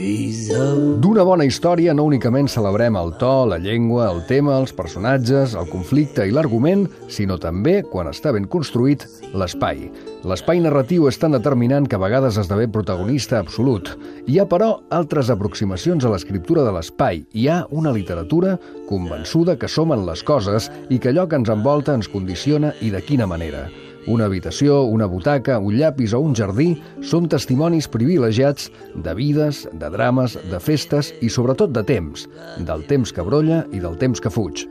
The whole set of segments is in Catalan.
D'una bona història no únicament celebrem el to, la llengua, el tema, els personatges, el conflicte i l'argument, sinó també, quan està ben construït, l'espai. L'espai narratiu és tan determinant que a vegades esdevé protagonista absolut. Hi ha, però, altres aproximacions a l'escriptura de l'espai. Hi ha una literatura convençuda que som en les coses i que allò que ens envolta ens condiciona i de quina manera. Una habitació, una butaca, un llapis o un jardí són testimonis privilegiats de vides, de drames, de festes i sobretot de temps, del temps que brolla i del temps que fuig.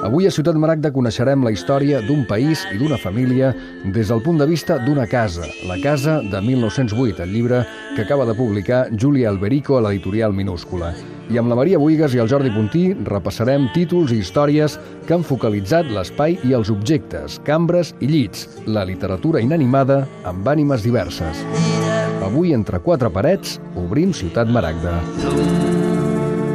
Avui a Ciutat Maragda coneixerem la història d'un país i d'una família des del punt de vista d'una casa, la casa de 1908, el llibre que acaba de publicar Júlia Alberico a l'editorial Minúscula. I amb la Maria Buigas i el Jordi Puntí repassarem títols i històries que han focalitzat l'espai i els objectes, cambres i llits, la literatura inanimada amb ànimes diverses. Avui, entre quatre parets, obrim Ciutat Maragda.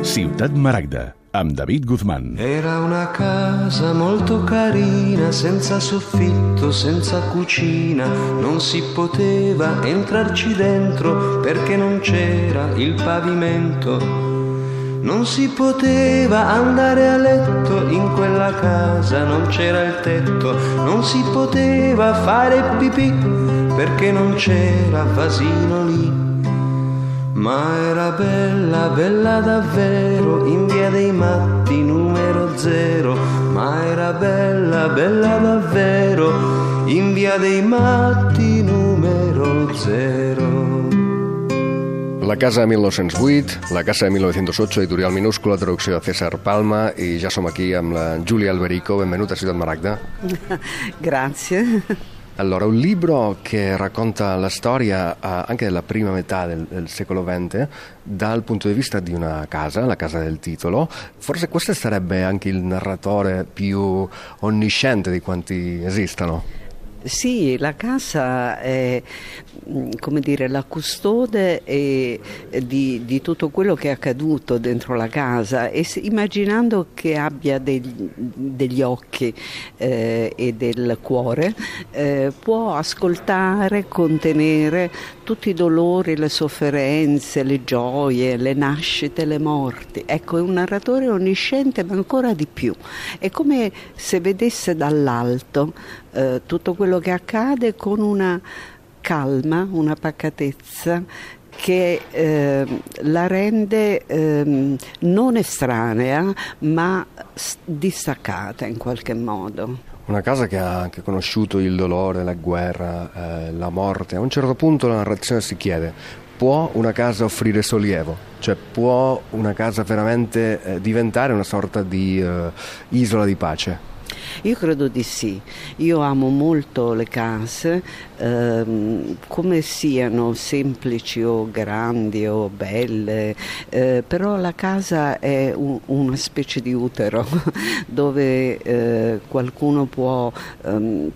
Ciutat Maragda, amb David Guzmán. Era una casa molto carina, senza soffitto, senza cucina, non si poteva entrarci dentro perché non c'era il pavimento, non si poteva andare a letto in quella casa, non c'era il tetto, non si poteva fare pipì perché non c'era vasino lì. Ma era bella, bella davvero, in via dei Matti numero 0. Ma era bella, bella davvero, in via dei Matti numero 0. La casa de 1908, la casa de 1908, editorial Minúscula, traducció de César Palma, i ja som aquí amb la Júlia Alberico. Benvenuta a Ciutat Maragda. Grazie. Allora, un libro che racconta la storia anche della prima metà del secolo XX dal punto di vista di una casa, la casa del titolo. Forse questo sarebbe anche il narratore più onnisciente di quanti esistano. Sì, la casa è, come dire, la custode di tutto quello che è accaduto dentro la casa, e immaginando che abbia degli occhi e del cuore, può ascoltare, contenere tutti i dolori, le sofferenze, le gioie, le nascite, le morti. Ecco, è un narratore onnisciente, ma ancora di più. È come se vedesse dall'alto tutto quello che accade con una calma, una pacatezza che la rende non estranea, ma distaccata in qualche modo. Una casa che ha anche conosciuto il dolore, la guerra, la morte. A un certo punto la narrazione si chiede: può una casa offrire sollievo? Cioè, può una casa veramente diventare una sorta di isola di pace? Io credo di sì. Io amo molto le case, come siano semplici o grandi o belle, però la casa è una specie di utero dove qualcuno può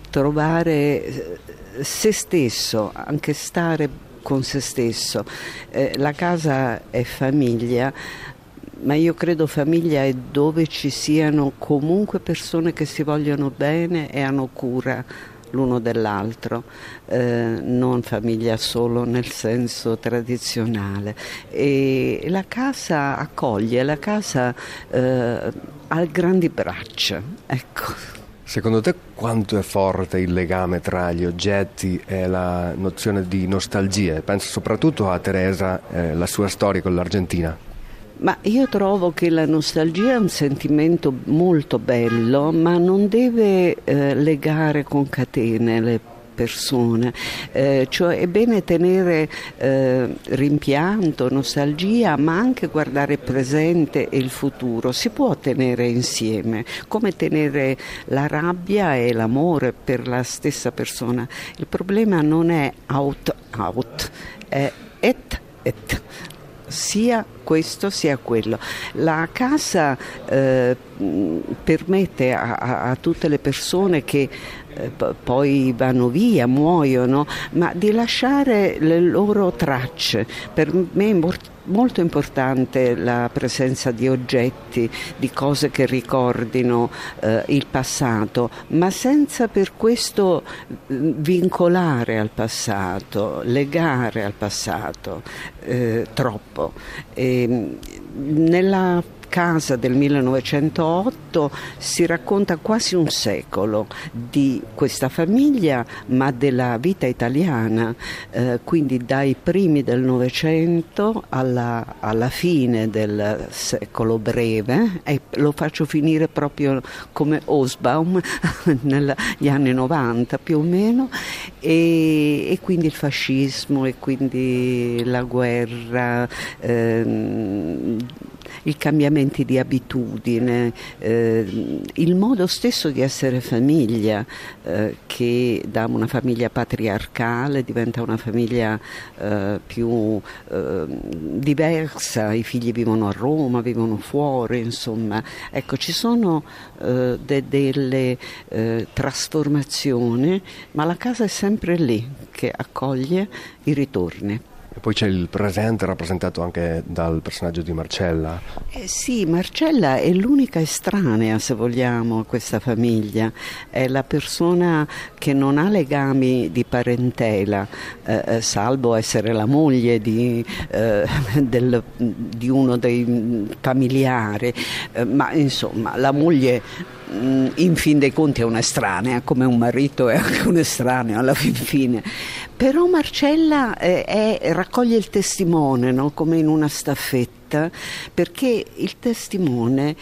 trovare se stesso, anche stare con se stesso. La casa è famiglia, ma io credo famiglia è dove ci siano comunque persone che si vogliono bene e hanno cura l'uno dell'altro, non famiglia solo nel senso tradizionale. E la casa accoglie, la casa ha grandi braccia, ecco. Secondo te quanto è forte il legame tra gli oggetti e la nozione di nostalgia? Penso soprattutto a Teresa, la sua storia con l'Argentina. Ma io trovo che la nostalgia è un sentimento molto bello, ma non deve legare con catene le persone, cioè è bene tenere rimpianto, nostalgia, ma anche guardare il presente e il futuro. Si può tenere insieme, come tenere la rabbia e l'amore per la stessa persona. Il problema non è out, è et. Sia questo sia quello. La casa permette a tutte le persone che poi vanno via, muoiono, ma di lasciare le loro tracce. Per me è molto importante la presenza di oggetti, di cose che ricordino il passato, ma senza per questo vincolare al passato, legare al passato troppo. Nella casa del 1908 si racconta quasi un secolo di questa famiglia, ma della vita italiana, quindi dai primi del Novecento alla fine del secolo breve, e lo faccio finire proprio come Hobsbawm negli anni 90 più o meno, e quindi il fascismo, e quindi la guerra, i cambiamenti di abitudine, il modo stesso di essere famiglia, che da una famiglia patriarcale diventa una famiglia più diversa, i figli vivono a Roma, vivono fuori, insomma. Ecco, ci sono delle trasformazioni, ma la casa è sempre lì che accoglie i ritorni. E poi c'è il presente rappresentato anche dal personaggio di Marcella. Sì, Marcella è l'unica estranea, se vogliamo, a questa famiglia. È la persona che non ha legami di parentela, salvo essere la moglie di uno dei familiari, ma insomma la moglie in fin dei conti è un'estranea, come un marito è anche un estraneo alla fine. Però Marcella raccoglie il testimone, no? Come in una staffetta, perché il testimone,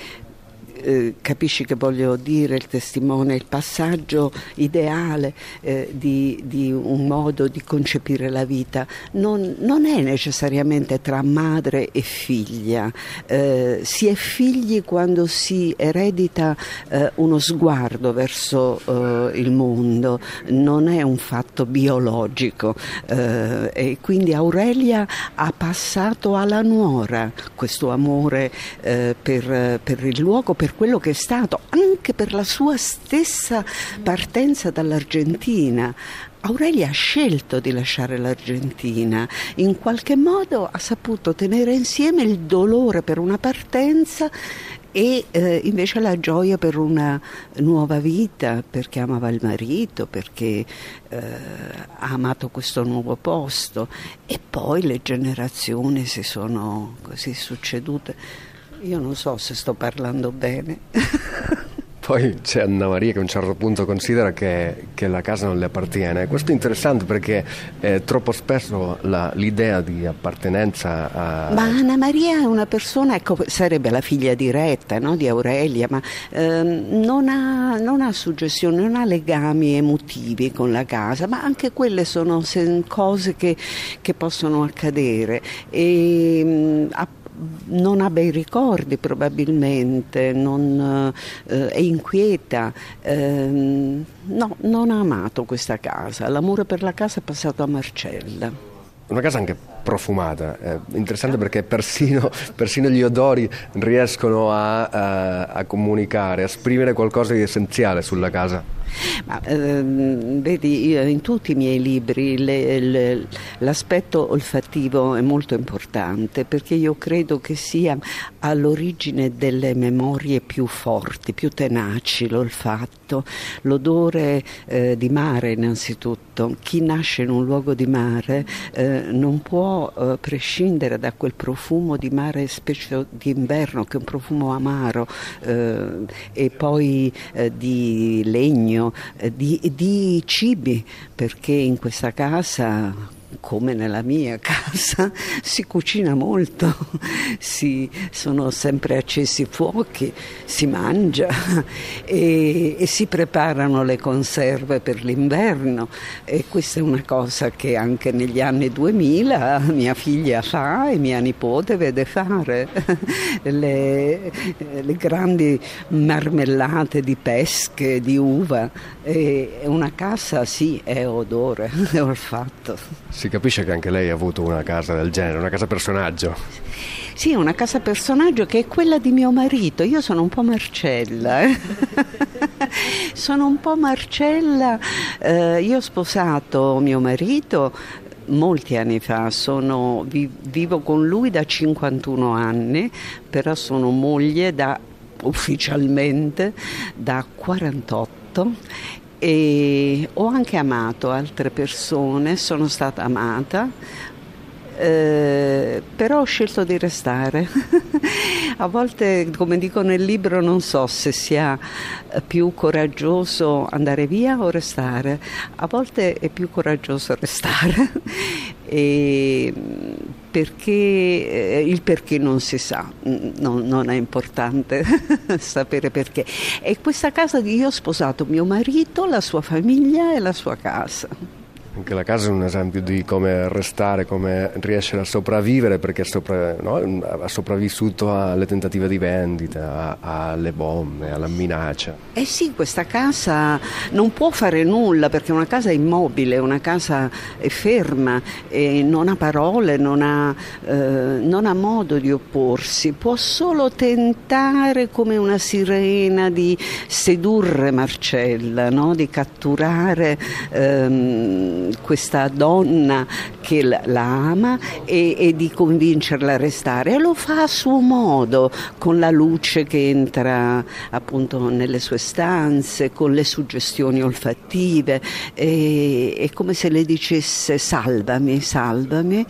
capisci che voglio dire, il testimone, il passaggio ideale di un modo di concepire la vita, non è necessariamente tra madre e figlia. Si è figli quando si eredita uno sguardo verso il mondo, non è un fatto biologico, e quindi Aurelia ha passato alla nuora questo amore per il luogo, per quello che è stato, anche per la sua stessa partenza dall'Argentina. Aurelia ha scelto di lasciare l'Argentina, in qualche modo ha saputo tenere insieme il dolore per una partenza e invece la gioia per una nuova vita, perché amava il marito, perché ha amato questo nuovo posto, e poi le generazioni si sono così succedute. Io non so se sto parlando bene. Poi c'è Anna Maria che a un certo punto considera che la casa non le appartiene. Questo è interessante perché troppo spesso l'idea di appartenenza a... Ma Anna Maria è una persona, ecco, sarebbe la figlia diretta, no, di Aurelia, ma non ha suggestioni, non ha legami emotivi con la casa, ma anche quelle sono cose che possono accadere. Non ha bei ricordi probabilmente, è inquieta, no, non ha amato questa casa. L'amore per la casa è passato a Marcella. Una casa anche profumata, interessante perché persino gli odori riescono a comunicare, a esprimere qualcosa di essenziale sulla casa. Ma, vedi, in tutti i miei libri l'aspetto olfattivo è molto importante, perché io credo che sia all'origine delle memorie più forti, più tenaci, l'olfatto, l'odore di mare innanzitutto. Chi nasce in un luogo di mare non può prescindere da quel profumo di mare, specie d'inverno, che è un profumo amaro, e poi di legno, di cibi, perché in questa casa, come nella mia casa, si cucina molto, sono sempre accesi fuochi, si mangia e si preparano le conserve per l'inverno, e questa è una cosa che anche negli anni 2000 mia figlia fa e mia nipote vede fare. Le grandi marmellate di pesche, di uva, e una casa sì, è odore, è olfatto. Si capisce che anche lei ha avuto una casa del genere, una casa personaggio. Sì, una casa personaggio che è quella di mio marito. Io sono un po' Marcella. Sono un po' Marcella. Io ho sposato mio marito molti anni fa, vivo con lui da 51 anni, però sono moglie ufficialmente da 48 e ho anche amato altre persone, sono stata amata, però ho scelto di restare. A volte, come dico nel libro, non so se sia più coraggioso andare via o restare. A volte è più coraggioso restare il perché non si sa, non è importante sapere perché. E questa casa io ho sposato mio marito, la sua famiglia e la sua casa. Anche la casa è un esempio di come restare, come riesce a sopravvivere, perché ha sopravvissuto alle tentative di vendita, alle bombe, alla minaccia. Eh sì, questa casa non può fare nulla perché una casa è immobile, una casa è ferma, e non ha parole, non ha modo di opporsi, può solo tentare come una sirena di sedurre Marcella, no? Di catturare questa donna che la ama e di convincerla a restare, e lo fa a suo modo, con la luce che entra appunto nelle sue stanze, con le suggestioni olfattive, è come se le dicesse salvami, salvami.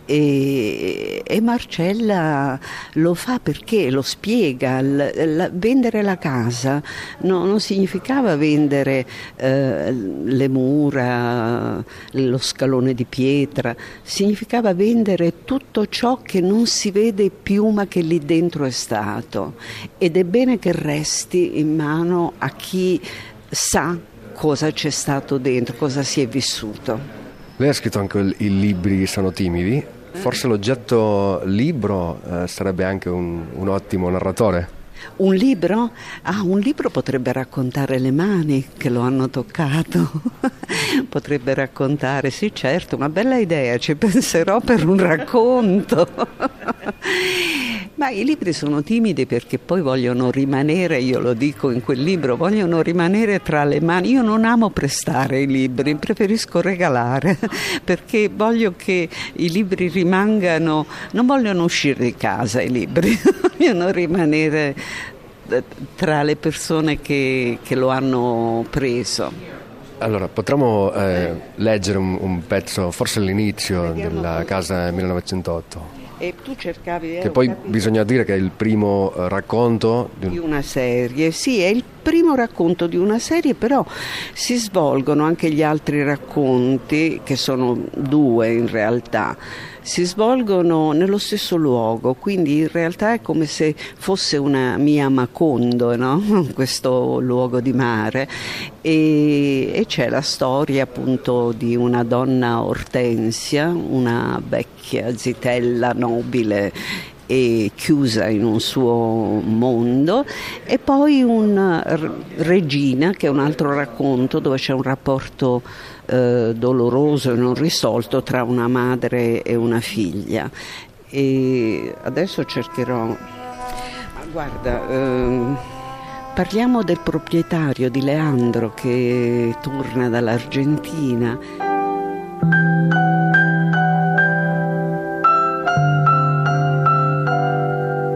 E Marcella lo fa perché lo spiega. Vendere la casa non significava vendere le mura, lo scalone di pietra, significava vendere tutto ciò che non si vede più ma che lì dentro è stato, ed è bene che resti in mano a chi sa cosa c'è stato dentro, cosa si è vissuto. Lei ha scritto anche i libri Sono timidi. Forse l'oggetto libro sarebbe anche un ottimo narratore. Un libro? Un libro potrebbe raccontare le mani che lo hanno toccato. Potrebbe raccontare, sì certo, una bella idea, ci penserò per un racconto. Ma i libri sono timidi perché poi vogliono rimanere, io lo dico in quel libro, vogliono rimanere tra le mani. Io non amo prestare i libri, preferisco regalare, perché voglio che i libri rimangano, non vogliono uscire di casa i libri, vogliono rimanere tra le persone che lo hanno preso. Allora, potremmo leggere un pezzo, forse all'inizio della casa 1908. E tu cercavi... Che poi bisogna dire che è il primo racconto di una serie. Sì, è il primo racconto di una serie, però si svolgono anche gli altri racconti, che sono 2 in realtà, si svolgono nello stesso luogo, quindi in realtà è come se fosse una mia Macondo, no? Questo luogo di mare, e c'è la storia appunto di una donna Ortensia, una vecchia zitella nobile e chiusa in un suo mondo, e poi una regina, che è un altro racconto dove c'è un rapporto doloroso e non risolto tra una madre e una figlia. E adesso cercherò, guarda, parliamo del proprietario, di Leandro, che torna dall'Argentina.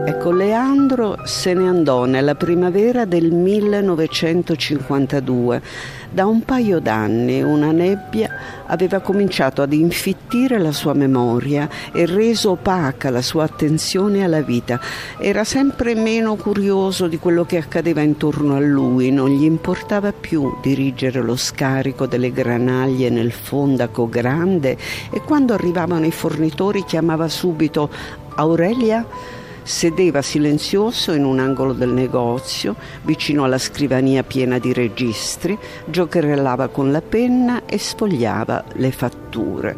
Ecco, Leandro se ne andò nella primavera del 1952. Da un paio d'anni una nebbia aveva cominciato ad infittire la sua memoria e reso opaca la sua attenzione alla vita. Era sempre meno curioso di quello che accadeva intorno a lui, non gli importava più dirigere lo scarico delle granaglie nel fondaco grande, e quando arrivavano i fornitori chiamava subito Aurelia. Sedeva silenzioso in un angolo del negozio, vicino alla scrivania piena di registri, giocherellava con la penna e sfogliava le fatture.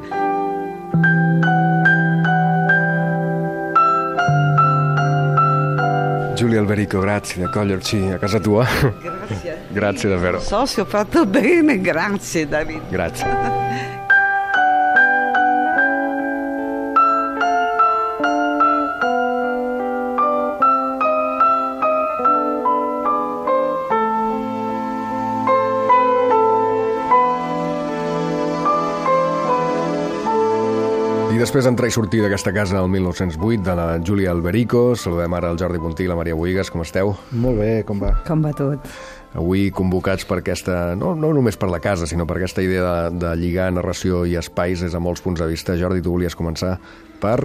Giulia Alberico, grazie di accoglierci a casa tua. Grazie. Grazie davvero. Non so se ho fatto bene, grazie Davide. Grazie. després d'entrar i sortir d'aquesta casa el 1908, de la Júlia Alberico, saludem ara el Jordi Puntí i la Maria Bohigas. Com esteu? Molt bé, com va? Com va tot? Avui convocats per aquesta, no només per la casa, sinó per aquesta idea de lligar narració i espais des de molts punts de vista. Jordi, tu volies començar per...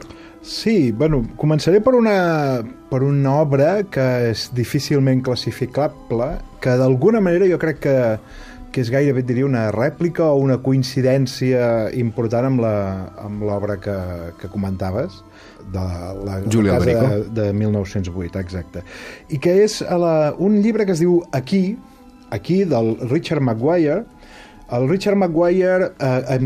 Sí, bueno, començaré per una obra que és difícilment classificable, que d'alguna manera jo crec que és gairebé, diria, una rèplica o una coincidència important amb l'obra que comentaves, de la Júlia Alberico, de 1908, exacte. I que és un llibre que es diu Aquí, del Richard Maguire. El Richard Maguire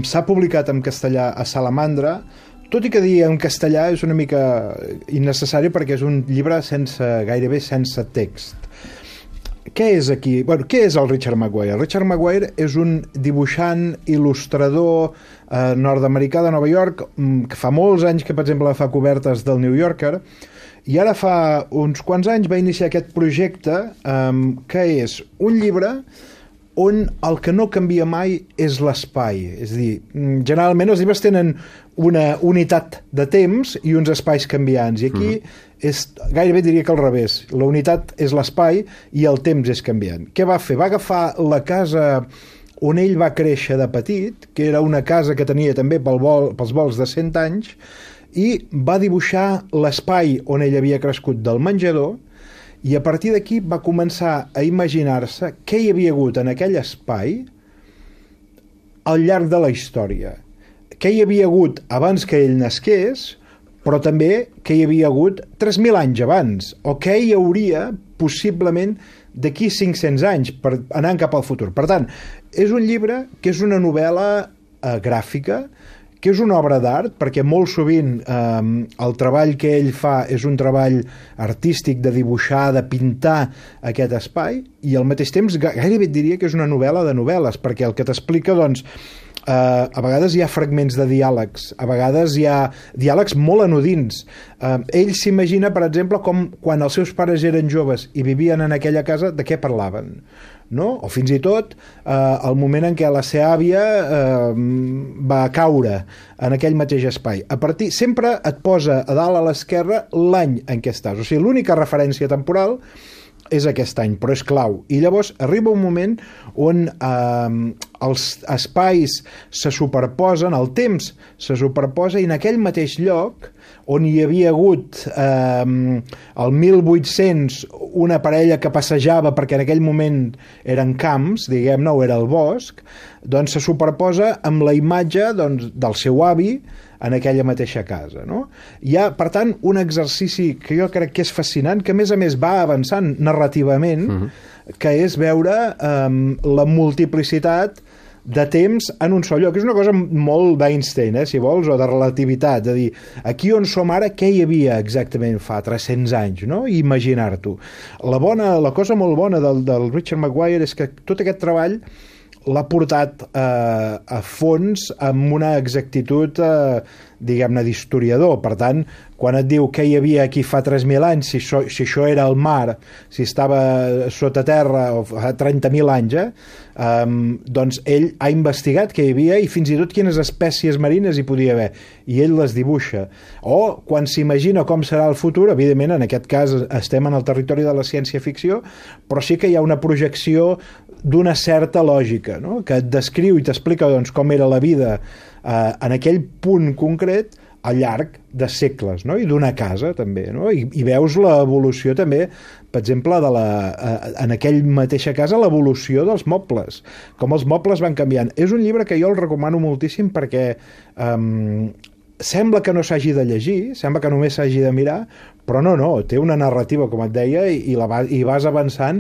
s'ha publicat en castellà a Salamandra, tot i que dir en castellà és una mica innecessari perquè és un llibre gairebé sense text. Què és aquí? Bueno, què és el Richard Maguire? El Richard Maguire és un dibuixant, il·lustrador nord-americà de Nova York, que fa molts anys que, per exemple, fa cobertes del New Yorker, i ara fa uns quants anys va iniciar aquest projecte que és un llibre on el que no canvia mai és l'espai. És a dir, generalment els llibres tenen una unitat de temps i uns espais canviants, i aquí gairebé diria que al revés. La unitat és l'espai i el temps és canviant. Què va fer? Va agafar la casa on ell va créixer de petit, que era una casa que tenia també pels volts de 100 anys, i va dibuixar l'espai on ell havia crescut del menjador, i a partir d'aquí va començar a imaginar-se què hi havia hagut en aquell espai al llarg de la història. Què hi havia hagut abans que ell nasqués, però també què hi havia hagut 3.000 anys abans, o què hi hauria possiblement d'aquí 500 anys, anant cap al futur. Per tant, és un llibre que és una novel·la gràfica, que és una obra d'art, perquè molt sovint el treball que ell fa és un treball artístic de dibuixar, de pintar aquest espai, i al mateix temps gairebé et diria que és una novel·la de novel·les, perquè el que t'explica, doncs, a vegades hi ha fragments de diàlegs, a vegades hi ha diàlegs molt anodins. Ell s'imagina, per exemple, com quan els seus pares eren joves i vivien en aquella casa, de què parlaven, no? O fins i tot el moment en què la seva àvia va caure en aquell mateix espai. Sempre et posa a dalt a l'esquerra l'any en què estàs. O sigui, l'única referència temporal és aquest any, però és clau. I llavors arriba un moment on els espais se superposen, el temps se superposa, i en aquell mateix lloc on hi havia hagut el 1800 una parella que passejava, perquè en aquell moment eren camps, diguem-ne, o era el bosc, doncs se superposa amb la imatge del seu avi en aquella mateixa casa, no? Hi ha, per tant, un exercici que jo crec que és fascinant, que a més va avançant narrativament, que és veure la multiplicitat de temps en un sol lloc. És una cosa molt d'Einstein, si vols, o de relativitat, de dir, aquí on som ara, què hi havia exactament fa 300 anys, no? I imaginar-t'ho. La cosa molt bona del Richard Maguire és que tot aquest treball l'ha portat a fons amb una exactitud, diguem-ne, d'historiador. Per tant, quan et diu què hi havia aquí fa 3.000 anys, si això era el mar, si estava sota terra o fa 30.000 anys, doncs ell ha investigat què hi havia i fins i tot quines espècies marines hi podia haver, i ell les dibuixa. O quan s'imagina com serà el futur, evidentment en aquest cas estem en el territori de la ciència-ficció, però sí que hi ha una projecció d'una certa lògica, no? Que et descriu i t'explica, doncs, com era la vida en aquell punt concret al llarg de segles, no? I d'una casa també, no? I veus l'evolució també, per exemple, en aquell mateixa casa, l'evolució dels mobles, com els mobles van canviant. És un llibre que jo el recomano moltíssim perquè sembla que no s'hagi de llegir, sembla que només s'hagi de mirar, però no, té una narrativa, com et deia, i vas avançant,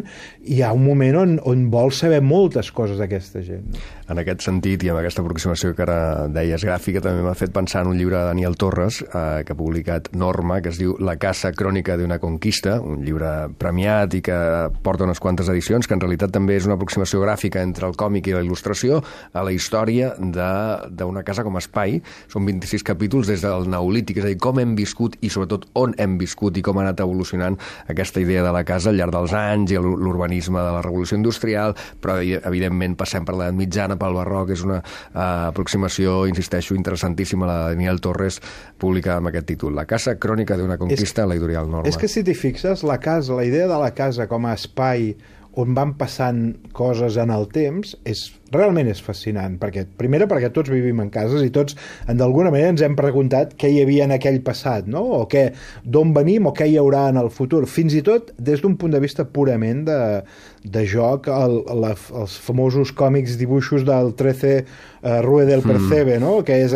i hi ha un moment on vols saber moltes coses d'aquesta gent. No? En aquest sentit, i amb aquesta aproximació que ara deies gràfica, també m'ha fet pensar en un llibre de Daniel Torres, que ha publicat Norma, que es diu La casa crònica d'una conquista, un llibre premiat i que porta unes quantes edicions, que en realitat també és una aproximació gràfica entre el còmic i la il·lustració a la història d'una casa com a espai. Són 26 capítols des del Neolític, és a dir, com hem viscut i sobretot on hem viscut viscut i com ha anat evolucionant aquesta idea de la casa al llarg dels anys i l'urbanisme de la revolució industrial, però evidentment passem per l'edat mitjana, pel barroc, és una aproximació, insisteixo, interessantíssima, la de Daniel Torres, publicada amb aquest títol, La casa crònica d'una conquista, a l'editorial Norma. És que si t'hi fixes, la idea de la casa com a espai on van passant coses en el temps realment és fascinant, perquè tots vivim en cases i tots d'alguna manera ens hem preguntat què hi havia en aquell passat, no? O d'on venim o què hi haurà en el futur, fins i tot des d'un punt de vista purament de joc, els famosos còmics, dibuixos del 13 Rue del Percebe, no? Que és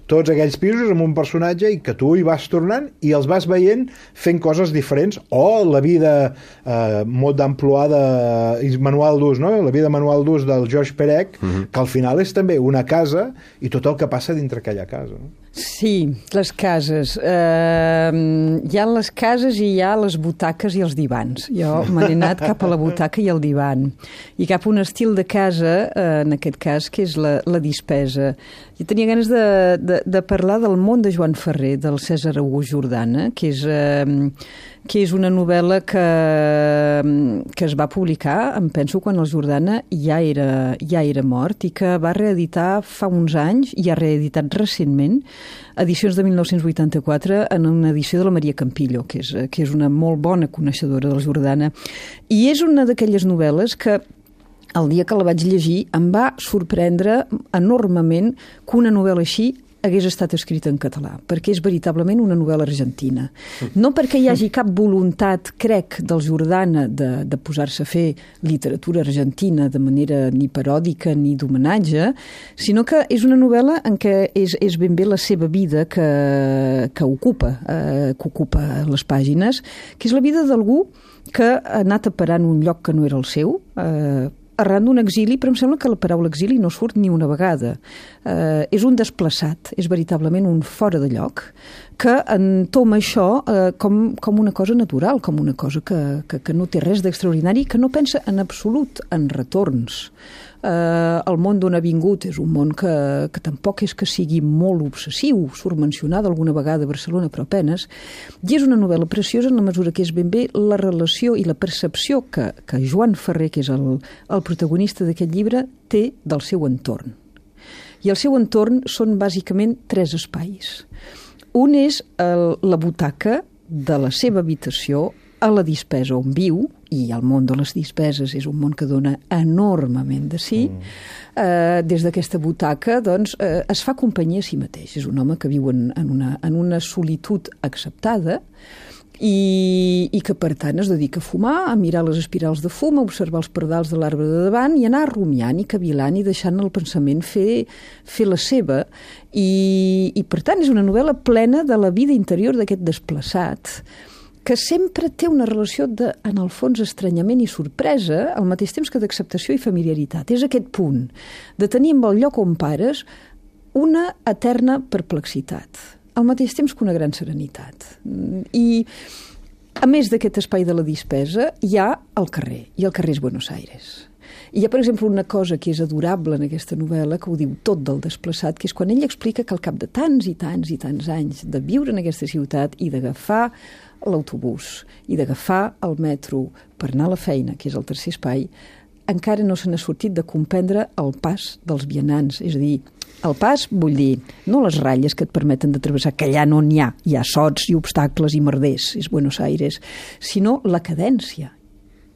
tots aquells pisos amb un personatge i que tu hi vas tornant i els vas veient fent coses diferents, o la vida mot d'emploi manual d'ús, no? La vida manual d'ús del George Perec, que al final és també una casa i tot el que passa dintre aquella casa, no? Sí, les cases. Hi ha les cases i hi ha les butaques i els divans. Jo me n'he anat cap a la butaca i el divan. I cap a un estil de casa, en aquest cas, que és la dispesa. Jo tenia ganes de parlar del món de Joan Ferrer, del Cèsar August Jordana, que és una novel·la que es va publicar, em penso, quan el Jordana ja era mort i que va reeditar fa uns anys i ha reeditat recentment edicions de 1984 en una edició de la Maria Campillo, que és una molt bona coneixedora del Jordana. I és una d'aquelles novel·les que el dia que la vaig llegir em va sorprendre enormement que una novel·la així hagués estat escrita en català, perquè és veritablement una novel·la argentina. No perquè hi hagi cap voluntat, crec, del Jordana de posar-se a fer literatura argentina de manera ni paròdica ni d'homenatge, sinó que és una novel·la en què és ben bé la seva vida que ocupa les pàgines, que és la vida d'algú que ha anat a parar en un lloc que no era el seu, arran d'un exili, però em sembla que la paraula exili no surt ni una vegada. És un desplaçat, és veritablement un fora de lloc, que entoma això com una cosa natural, com una cosa que no té res d'extraordinari, que no pensa en absolut en retorns. El món d'on ha vingut és un món que tampoc és que sigui molt obsessiu, surt mencionada alguna vegada a Barcelona, però apenes, i és una novel·la preciosa en la mesura que és ben bé la relació i la percepció que Joan Ferrer, que és el protagonista d'aquest llibre, té del seu entorn. I el seu entorn són bàsicament 3 espais. Un és la butaca de la seva habitació a la dispesa on viu, i el món de les dispeses és un món que dona enormement de si. Des d'aquesta butaca doncs, es fa companyia a si mateix. És un home que viu en una solitud acceptada i que, per tant, es dedica a fumar, a mirar les espirals de fum, a observar els pardals de l'arbre de davant i anar rumiant i cavilant i deixant el pensament fer la seva. I, per tant, és una novel·la plena de la vida interior d'aquest desplaçat, que sempre té una relació en el fons, estranyament i sorpresa, al mateix temps que d'acceptació i familiaritat. És aquest punt de tenir amb el lloc on pares una eterna perplexitat, al mateix temps que una gran serenitat. I, a més d'aquest espai de la dispesa, hi ha el carrer, i el carrer és Buenos Aires. I hi ha, per exemple, una cosa que és adorable en aquesta novel·la, que ho diu tot del desplaçat, que és quan ell explica que al cap de tants i tants i tants anys de viure en aquesta ciutat i d'agafar l'autobús i d'agafar el metro per anar a la feina, que és el tercer espai, encara no se n'ha sortit de comprendre el pas dels vianants. És a dir, el pas vull dir no les ratlles que et permeten de travessar, que allà no n'hi ha sots i obstacles i merders, és Buenos Aires, sinó la cadència.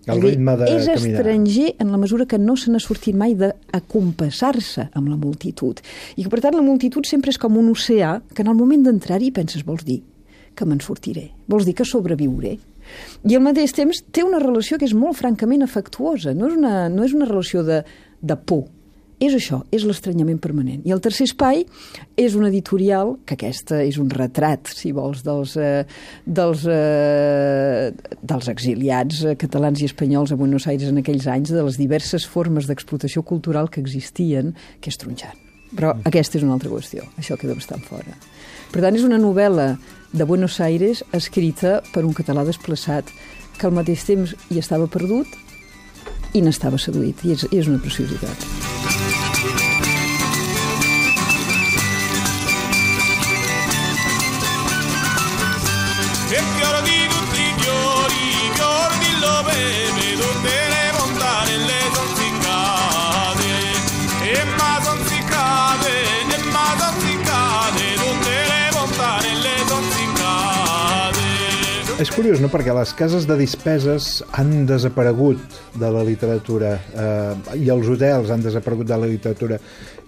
El ritme de és caminar. Estranger en la mesura que no se n'ha sortit mai d'acompassar-se amb la multitud. I que, per tant, la multitud sempre és com un oceà que en el moment d'entrar-hi penses, vols dir que me'n sortiré, vols dir que sobreviuré. I al mateix temps té una relació que és molt francament afectuosa, no és una relació de por, és això, és l'estranyament permanent. I el tercer espai és un editorial, que aquesta és un retrat, si vols, dels exiliats catalans i espanyols a Buenos Aires en aquells anys, de les diverses formes d'explotació cultural que existien, que és tronxant. Però aquesta és una altra qüestió, això queda bastant fora. Per tant, és una novel·la de Buenos Aires escrita per un català desplaçat que al mateix temps hi estava perdut i n'estava seduït. I és una preciositat. perché ora di tutti i fiori di lobebe, tutte le montane le son ziccate, e ma son ziccate, tutte le montane le son ziccate. És curiós, no?, perquè les cases de dispeses han desaparegut de la literatura i els hotels han desaparegut de la literatura,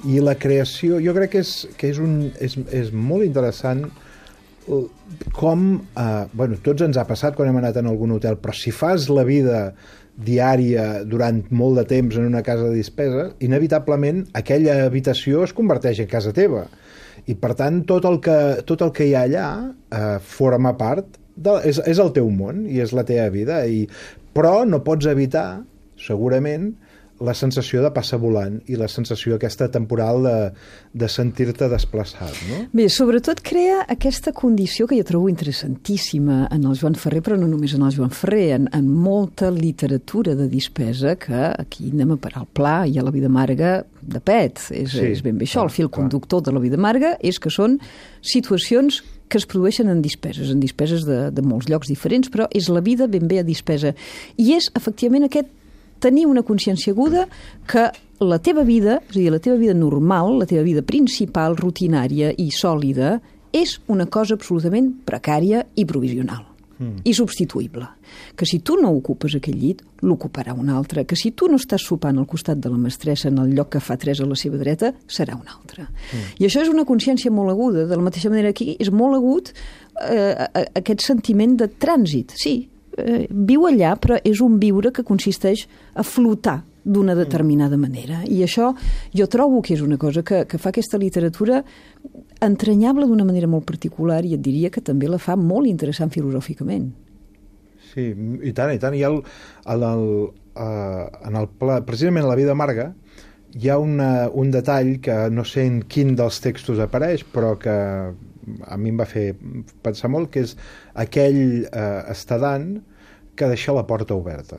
i la creació, jo crec que és molt interessant com, bueno, tots ens ha passat quan hem anat en algun hotel, però si fas la vida diària durant molt de temps en una casa de despesa, inevitablement aquella habitació es converteix en casa teva, i per tant tot el que hi ha allà forma part és el teu món i és la teva vida, però no pots evitar segurament la sensació de passar volant i la sensació aquesta temporal de sentir-te desplaçat, no? Bé, sobretot crea aquesta condició que jo trobo interessantíssima en el Joan Ferrer, però no només en el Joan Ferrer, en molta literatura de despesa, que aquí anem a parar el pla i a La vida amarga de pet. És ben bé això, el fil conductor de La vida amarga és que són situacions que es produeixen en dispeses de molts llocs diferents, però és la vida ben bé a dispesa. I és, efectivament, aquest tenir una consciència aguda que la teva vida, és a dir, la teva vida normal, la teva vida principal, rutinària i sòlida, és una cosa absolutament precària i provisional, i substituïble. Que si tu no ocupes aquell llit, l'ocuparà un altre. Que si tu no estàs sopant al costat de la mestressa en el lloc que fa 3 a la seva dreta, serà un altre. I això és una consciència molt aguda. De la mateixa manera que és molt agut aquest sentiment de trànsit. Sí, viu allà, però és un viure que consisteix a flotar d'una determinada manera. I això jo trobo que és una cosa que fa aquesta literatura entranyable d'una manera molt particular, i et diria que també la fa molt interessant filosòficament. Sí, i tant, i tant. I precisament a La vida amarga hi ha un detall que no sé en quin dels textos apareix, però que a mi em va fer pensar molt, que és aquell estadant que deixa la porta oberta,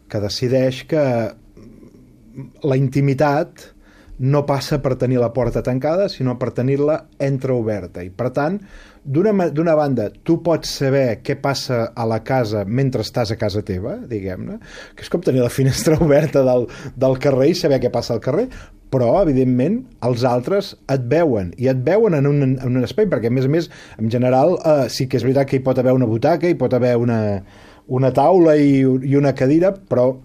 que decideix que la intimitat no passa per tenir la porta tancada, sinó per tenir-la entreoberta. I, per tant, d'una banda, tu pots saber què passa a la casa mentre estàs a casa teva, diguem-ne, que és com tenir la finestra oberta del carrer i saber què passa al carrer, però, evidentment, els altres et veuen, i et veuen en un espai, perquè, a més, en general, sí que és veritat que hi pot haver una butaca, hi pot haver una taula i una cadira, però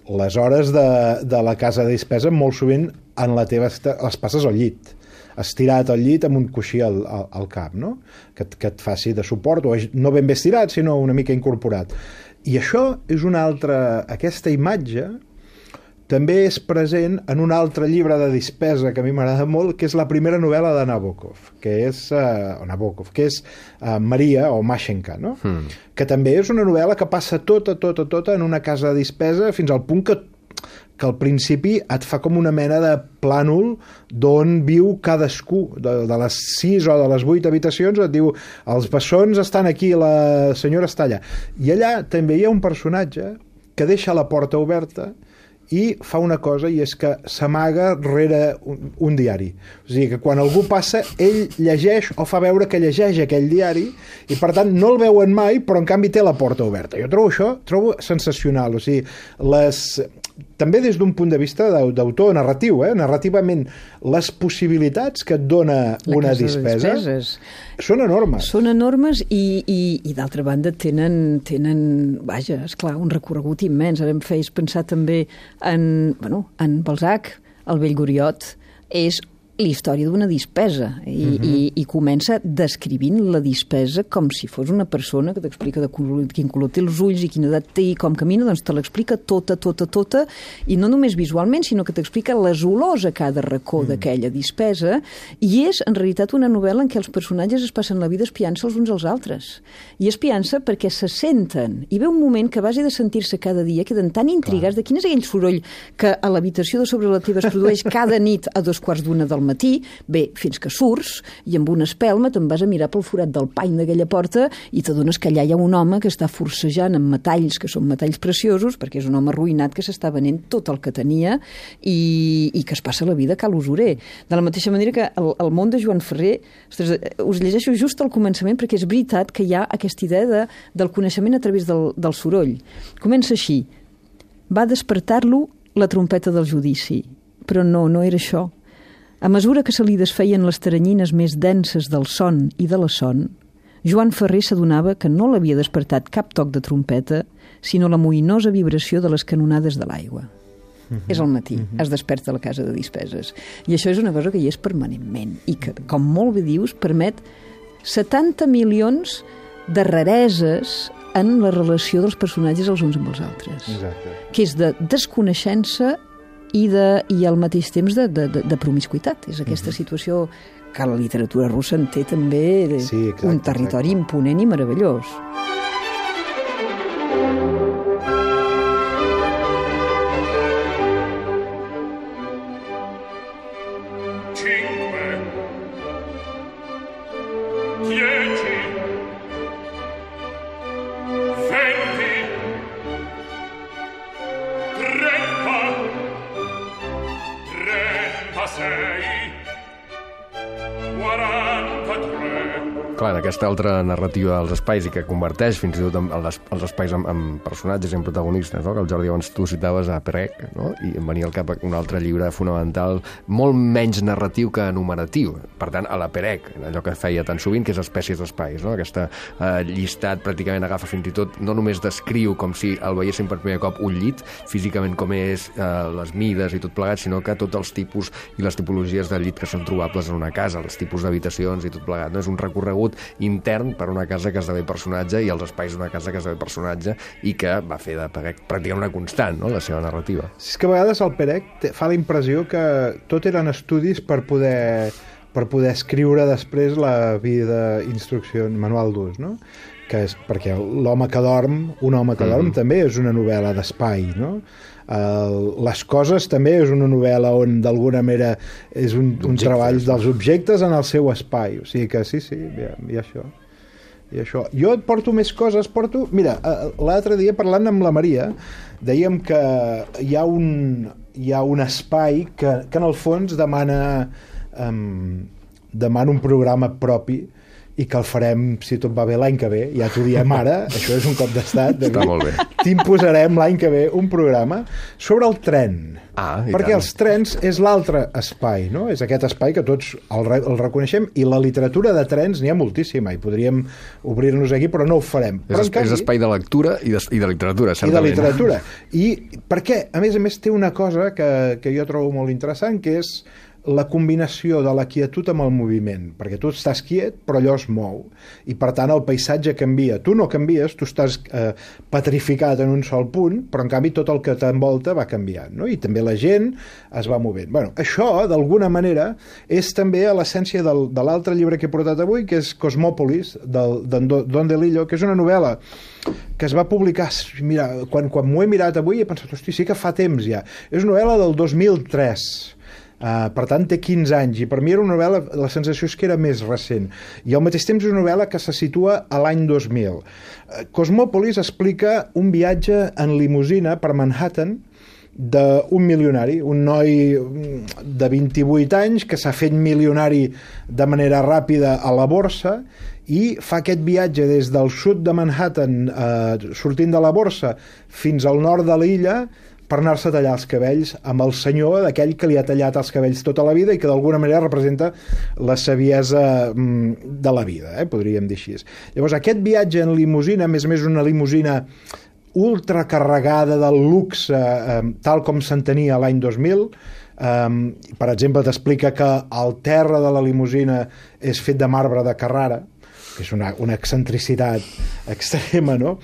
les hores de la casa de despesa molt sovint en la teva les passes al llit, estirat al llit amb un coixí al cap, no? Que et faci de suport, o no ben bé estirat, sinó una mica incorporat. I això és aquesta imatge també és present en un altre llibre de despesa que a mi m'agrada molt, que és la primera novel·la de Nabokov, que és Maria, o Mashenka, no? Que també és una novel·la que passa tota en una casa de despesa, fins al punt que al principi et fa com una mena de plànol d'on viu cadascú, de les 6 o de les 8 habitacions, et diu, els bessons estan aquí, la senyora està allà. I allà també hi ha un personatge que deixa la porta oberta i fa una cosa, i és que s'amaga rere un diari. O sigui, que quan algú passa, ell llegeix o fa veure que llegeix aquell diari, i per tant no el veuen mai, però en canvi té la porta oberta. Jo trobo sensacional. O sigui, també des d'un punt de vista d'autor narratiu, narrativament, les possibilitats que et dona una despesa són enormes. Són enormes i d'altra banda tenen vaja, esclar, un recorregut immens. Ara em feies pensar també en Balzac, el vell Goriot, és la història d'una despesa i comença descrivint la despesa com si fos una persona que t'explica de quin color té els ulls i quina edat té i com camina, doncs te l'explica tota, i no només visualment, sinó que t'explica les olors a cada racó d'aquella despesa, i és en realitat una novel·la en què els personatges es passen la vida espiant-se els uns als altres, i espiant-se perquè se senten, i ve un moment que a base de sentir-se cada dia queden tan intrigats de quin és aquell soroll que a l'habitació de sobre la teva es produeix cada nit a 2:15 del al matí, bé, fins que surts, i amb una espelma te'n vas a mirar pel forat del pany d'aquella porta i t'adones que allà hi ha un home que està forcejant amb metalls, que són metalls preciosos, perquè és un home arruïnat que s'està venent tot el que tenia i que es passa la vida a cal usurer. De la mateixa manera que el món de Joan Ferrer, ostres, us llegeixo just al començament perquè és veritat que hi ha aquesta idea del coneixement a través del soroll. Comença així: va despertar-lo la trompeta del judici. Però no era això. A mesura que se li desfeien les taranyines més denses del son i de la son, Joan Ferrer s'adonava que no l'havia despertat cap toc de trompeta, sinó la moïnosa vibració de les canonades de l'aigua. És al matí, es desperta a la casa de dispeses. I això és una cosa que hi és permanentment i que, com molt bé dius, permet 70 milions de rareses en la relació dels personatges els uns amb els altres. Exacte. Que és de desconeixença i al mateix temps de promiscuitat. És aquesta situació que la literatura russa en té també un territori imponent i meravellós. Clar, en aquesta altra narrativa dels espais i que converteix fins i tot els espais en personatges i en protagonistes, no? Que el Jordi abans tu citaves a Perec, no? I em venia al cap un altre llibre fonamental molt menys narratiu que enumeratiu, per tant a la Perec, allò que feia tan sovint, que és espècies d'espais, no? Aquesta llistat pràcticament agafa fins i tot, no només descriu com si el veiéssim per primer cop un llit, físicament com és, les mides i tot plegat, sinó que tots els tipus i les tipologies de llit que són trobables en una casa, els tipus d'habitacions i tot plegat, no? És un recorregut intern per una casa que esdevé personatge i els espais d'una casa que esdevé personatge i que va fer de Perec pràcticament una constant, no?, la seva narrativa. És que a vegades el Perec fa la impressió que tot eren estudis per poder escriure després la vida instrucció, manual d'ús, no? Que és perquè l'home que dorm, un home que dorm també és una novel·la d'espai, no? Les coses també és una novel·la on d'alguna manera és un treball dels objectes en el seu espai, o sigui que sí, hi ha això. Jo et porto més coses, mira, l'altre dia parlant amb la Maria dèiem que hi ha un espai que en el fons demana un programa propi i que el farem, si tot va bé, l'any que ve. Ja t'ho diem ara, això és un cop d'estat. Està molt bé. T'imposarem l'any que ve un programa sobre el tren. Perquè els trens és l'altre espai, no? És aquest espai que tots el reconeixem i la literatura de trens n'hi ha moltíssima i podríem obrir-nos aquí, però no ho farem. És espai de lectura i de literatura, certament. I de literatura. I perquè, a més, té una cosa que jo trobo molt interessant, que és la combinació de la quietud amb el moviment, perquè tu estàs quiet però allò es mou i per tant el paisatge canvia, tu no canvies, tu estàs petrificat en un sol punt, però en canvi tot el que t'envolta va canviant, no? I també la gent es va movent. Bueno, això d'alguna manera és també a l'essència de l'altre llibre que he portat avui, que és Cosmòpolis, d'en Don DeLillo, que és una novel·la que es va publicar, mira, quan m'ho he mirat avui he pensat, hosti, sí que fa temps ja, és una novel·la del 2003. Per tant té 15 anys i per mi era una novel·la, la sensació és que era més recent i al mateix temps és una novel·la que se situa a l'any 2000. Cosmòpolis explica un viatge en limusina per Manhattan d'un milionari, un noi de 28 anys que s'ha fet milionari de manera ràpida a la borsa i fa aquest viatge des del sud de Manhattan, sortint de la borsa fins al nord de l'illa per anar-se a tallar els cabells amb el senyor d'aquell que li ha tallat els cabells tota la vida i que d'alguna manera representa la saviesa de la vida, podríem dir així. Llavors aquest viatge en limusina, a més una limusina ultracarregada del luxe, tal com s'entenia l'any 2000, per exemple t'explica que el terra de la limusina és fet de marbre de Carrara, que és una excentricitat extrema, no?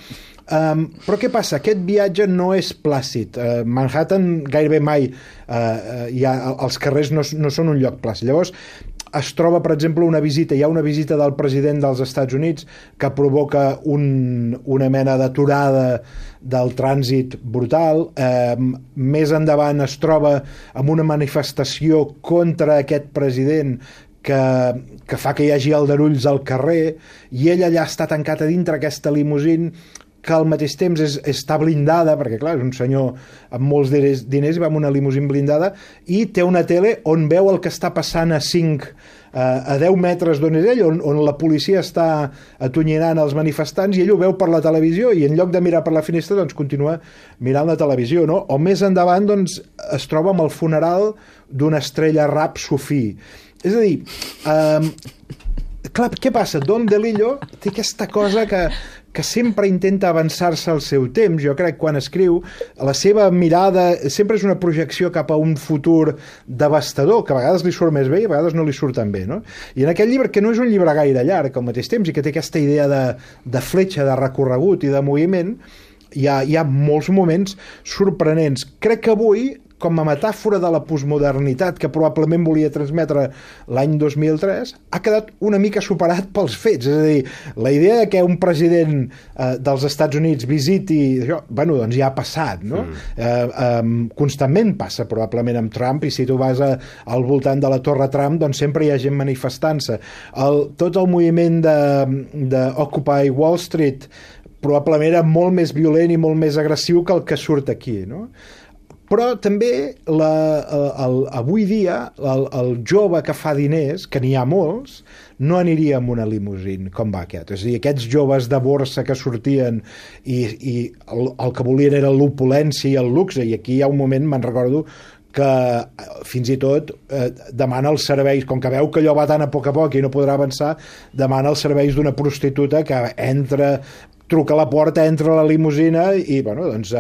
Però què passa? Aquest viatge no és plàcid. Manhattan gairebé mai els carrers no són un lloc plàcid. Llavors es troba, per exemple, hi ha una visita del president dels Estats Units que provoca una mena d'aturada del trànsit brutal. Més endavant es troba amb una manifestació contra aquest president que fa que hi hagi aldarulls al carrer, i ell allà està tancat a dintre aquesta limusín que al mateix temps està blindada, perquè clar, és un senyor amb molts diners i va amb una limusín blindada, i té una tele on veu el que està passant a 10 metres d'on és ell, on la policia està atonyinant els manifestants, i ell ho veu per la televisió, i en lloc de mirar per la finestra doncs continua mirant la televisió, no? O més endavant doncs es troba amb el funeral d'una estrella rap sufí. És a dir, clar, què passa? Don DeLillo té aquesta cosa que sempre intenta avançar-se al seu temps. Jo crec que quan escriu, la seva mirada sempre és una projecció cap a un futur devastador, que a vegades li surt més bé i a vegades no li surt tan bé, no? I en aquest llibre, que no és un llibre gaire llarg al mateix temps i que té aquesta idea de fletxa, de recorregut i de moviment, hi ha molts moments sorprenents. Crec que avui, com a metàfora de la postmodernitat que probablement volia transmetre l'any 2003, ha quedat una mica superat pels fets. És a dir, la idea de que un president dels Estats Units visiti això, bueno, doncs ja ha passat, no? Constantment passa, probablement, amb Trump, i si tu vas al voltant de la Torre Trump, doncs sempre hi ha gent manifestant-se. Tot el moviment de Occupy Wall Street probablement era molt més violent i molt més agressiu que el que surt aquí, no? Però també avui dia el jove que fa diners, que n'hi ha molts, no aniria amb una limusín com va aquest. És a dir, aquests joves de borsa que sortien i el que volien era l'opulència i el luxe, i aquí hi ha un moment, me'n recordo, que fins i tot demana els serveis, com que veu que allò va tan a poc i no podrà avançar, demana els serveis d'una prostituta que truca a la porta, entra a la limusina i, bueno, doncs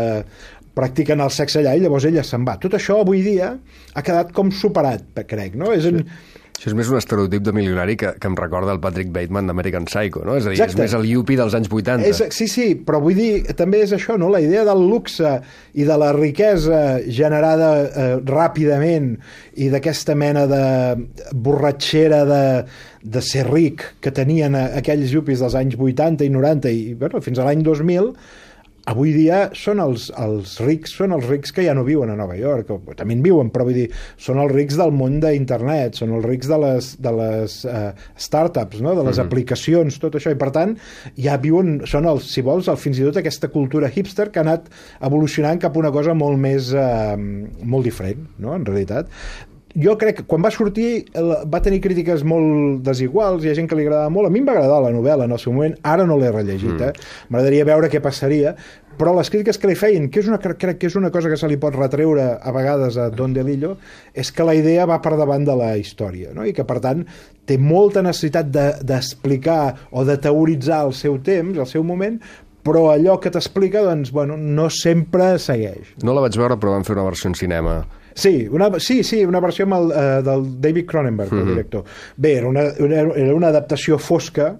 practiquen el sexe allà i llavors ella se'n va. Tot això avui dia ha quedat com superat, crec, no? Això és més un estereotip de milionari que em recorda el Patrick Bateman d'American Psycho, no? És a dir, Exacte. És més el yuppie dels anys 80. Sí, però vull dir, també és això, no? La idea del luxe i de la riquesa generada ràpidament i d'aquesta mena de borratxera de ser ric que tenien aquells yuppies dels anys 80 i 90 i bueno, fins a l'any 2000, avui dia són els rics que ja no viuen a Nova York, o també en viuen, però vull dir, són els rics del món d'internet, són els rics de les startups, no? De les aplicacions, tot això, i per tant ja viuen, són si vols, fins i tot aquesta cultura hipster que ha anat evolucionant cap a una cosa molt més molt diferent, no? En realitat jo crec que quan va sortir va tenir crítiques molt desiguals, hi ha gent que li agradava molt, a mi em va agradar la novel·la en el seu moment, ara no l'he rellegit, m'agradaria veure què passaria, però les crítiques que li feien, crec que és una cosa que se li pot retreure a vegades a Don DeLillo, és que la idea va per davant de la història, no? I que per tant té molta necessitat d'explicar o de teoritzar el seu temps, el seu moment, però allò que t'explica, doncs, bueno, no sempre segueix. No la vaig veure, però van fer una versió en cinema. Sí, una versió amb del David Cronenberg, el director. Bé, era una adaptació fosca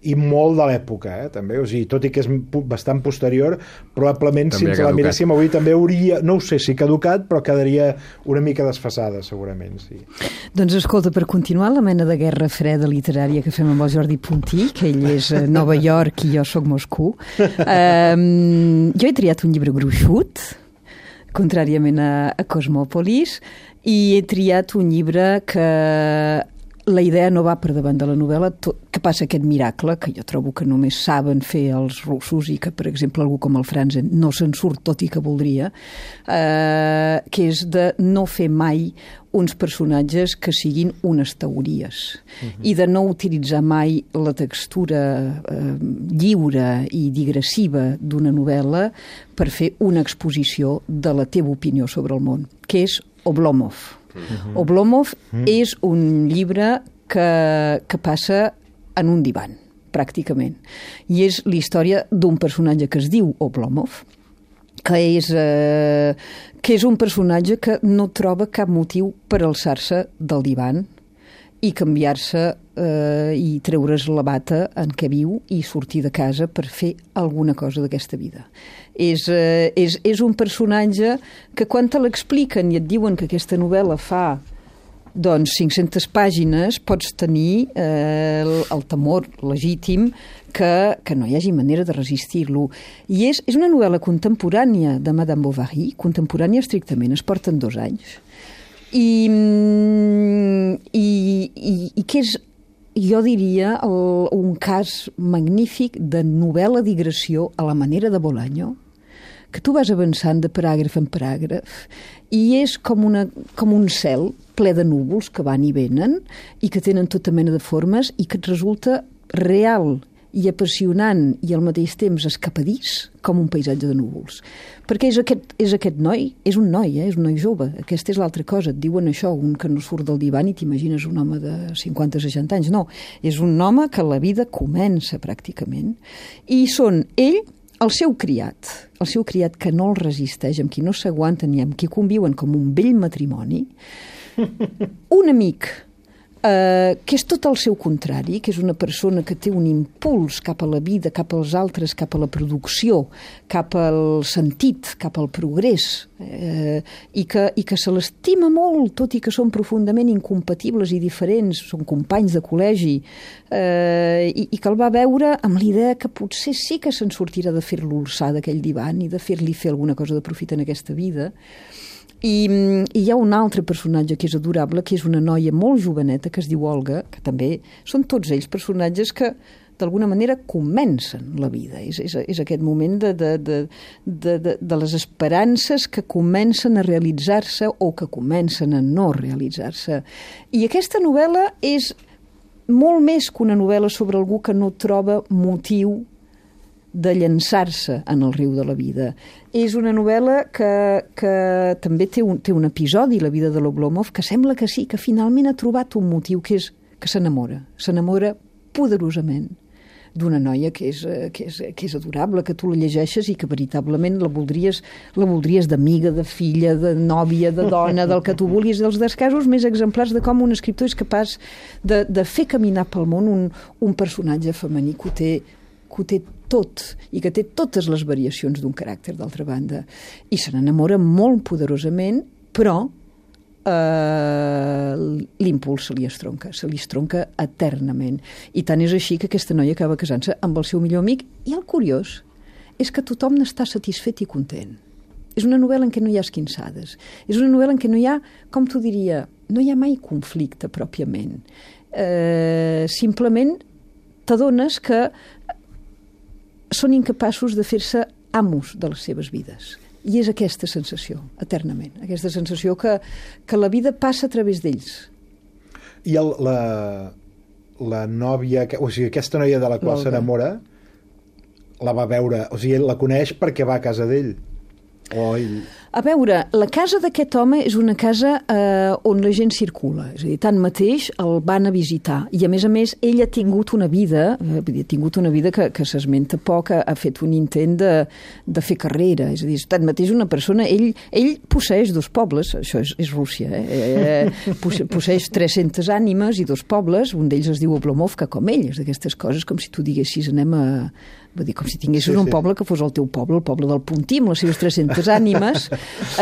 i molt de l'època, també. O sigui, tot i que és bastant posterior, probablement si ens la miréssim avui també hauria, no ho sé si caducat, però quedaria una mica desfasada, segurament, sí. Doncs escolta, per continuar la mena de guerra freda literària que fem amb el Jordi Puntí, que ell és Nova York i jo sóc Moscou, jo he triat un llibre gruixut, contràriament a Cosmòpolis, i he triat un llibre que la idea no va per davant de la novel·la, que passa aquest miracle, que jo trobo que només saben fer els russos i que, per exemple, algú com el Franzen no se'n surt, tot i que voldria, que és de no fer mai uns personatges que siguin unes teories i de no utilitzar mai la textura lliure i digressiva d'una novel·la per fer una exposició de la teva opinió sobre el món, que és Oblomov. Oblomov és un llibre que passa en un divan, pràcticament. I és la història d'un personatge que es diu Oblomov, que és un personatge que no troba cap motiu per alçar-se del divan i canviar-se i treure's la bata en què viu i sortir de casa per fer alguna cosa d'aquesta vida. És un personatge que quan te l'expliquen i et diuen que aquesta novel·la fa doncs 500 pàgines pots tenir el temor legítim que no hi hagi manera de resistir-lo. I és una novel·la contemporània de Madame Bovary, contemporània estrictament, es porten 2 anys, i que és, jo diria, un cas magnífic de novel·la digressió a la manera de Bolaño, que tu vas avançant de paràgraf en paràgraf i és com un cel ple de núvols que van i venen i que tenen tota mena de formes i que et resulta real i apassionant i al mateix temps escapadís com un paisatge de núvols. Perquè és aquest noi, és un noi jove. Aquesta és l'altra cosa. Et diuen això, un que no surt del divan i t'imagines un home de 50-60 anys. No, és un home que la vida comença pràcticament. I són ell, el seu criat que no el resisteix, amb qui no s'aguanten i amb qui conviuen com un vell matrimoni, un amic que és tot el seu contrari, que és una persona que té un impuls cap a la vida, cap als altres, cap a la producció, cap al sentit, cap al progrés, i que se l'estima molt, tot i que són profundament incompatibles i diferents, són companys de col·legi, i que el va veure amb l'idea que potser sí que se'n sortirà de fer-lo alçar d'aquell divan i de fer-li fer alguna cosa de profit en aquesta vida. I hi ha un altre personatge que és adorable, que és una noia molt joveneta que es diu Olga, que també són tots ells personatges que d'alguna manera comencen la vida. És aquest moment de les esperances que comencen a realitzar-se o que comencen a no realitzar-se. I aquesta novel·la és molt més que una novel·la sobre algú que no troba motiu de llançar-se en el riu de la vida. És una novel·la que també té un episodi, la vida de l'Oblomov, que sembla que sí, que finalment ha trobat un motiu, que és que s'enamora poderosament d'una noia que és adorable, que tu la llegeixes i que veritablement la voldries d'amiga, de filla, de nòvia, de dona, del que tu vulguis, dels casos més exemplars de com un escriptor és capaç de fer caminar pel món un personatge femení que ho té tot i que té totes les variacions d'un caràcter, d'altra banda. I se n'enamora molt poderosament, però l'impuls se li estronca eternament. I tant és així que aquesta noia acaba casant-se amb el seu millor amic, i el curiós és que tothom n'està satisfet i content. És una novel·la en què no hi ha esquinçades. És una novel·la en què no hi ha, com t'ho diria, no hi ha mai conflicte pròpiament. Simplement t'adones que són incapaços de fer-se amos de les seves vides. I és aquesta sensació, eternament. Aquesta sensació que la vida passa a través d'ells. I la nòvia, o sigui, aquesta noia de la qual s'enamora, la va veure, o sigui, la coneix perquè va a casa d'ell. A veure, la casa d'aquest home és una casa on la gent circula, és a dir, tanmateix el van a visitar, i a més, ell ha tingut una vida, que s'esmenta poc, ha fet un intent de fer carrera, és a dir, tanmateix una persona, ell posseeix 2 pobles, això és Rússia, posseeix 300 ànimes i 2 pobles, un d'ells es diu Oblomovka, com ell, és d'aquestes coses com si tu diguessis anem a... Vull dir, com si tinguessis un poble que fos el teu poble, el poble del Puntí, amb les seves 300 ànimes,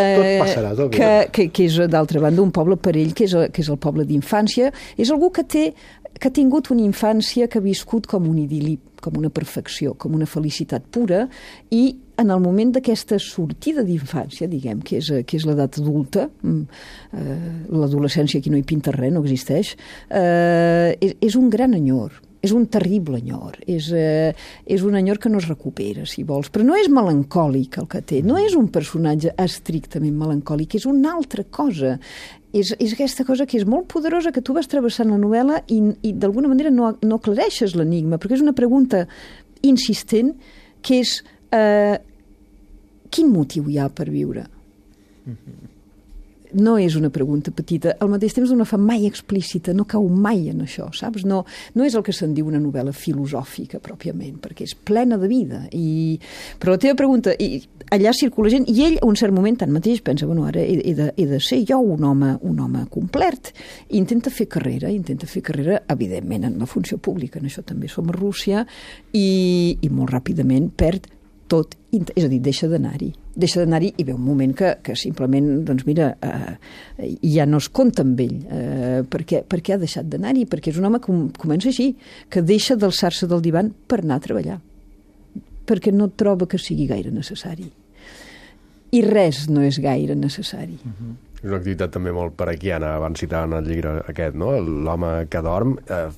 que és, d'altra banda, un poble per ell, que és el poble d'infància. És algú que ha tingut una infància que ha viscut com un idil·li, com una perfecció, com una felicitat pura, i en el moment d'aquesta sortida d'infància, diguem, que és l'edat adulta, l'adolescència aquí no hi pinta res, no existeix, és un gran enyor. És un terrible enyor, és un enyor que no es recupera, si vols, però no és melancòlic el que té, no és un personatge estrictament melancòlic, és una altra cosa, és aquesta cosa que és molt poderosa, que tu vas travessant la novel·la i d'alguna manera no aclareixes l'enigma, perquè és una pregunta insistent, que és quin motiu hi ha per viure? No és una pregunta petita, al mateix temps no la fa mai explícita, no cau mai en això, saps? No és el que se'n diu una novel·la filosòfica pròpiament, perquè és plena de vida. Però la teva pregunta, allà circula gent, i ell a un cert moment tanmateix pensa, bueno, ara he de ser jo un home complet, i intenta fer carrera, evidentment en la funció pública, en això també som a Rússia, i molt ràpidament perd tot, és a dir, deixa d'anar-hi i ve un moment que simplement, doncs mira, ja no es compta amb ell, per què ha deixat d'anar-hi, perquè és un home que comença així, que deixa d'alçar-se del divan per anar a treballar, perquè no troba que sigui gaire necessari. I res no és gaire necessari. És una activitat també molt paraquiana, van citar en el llibre aquest, no? L'home que dorm,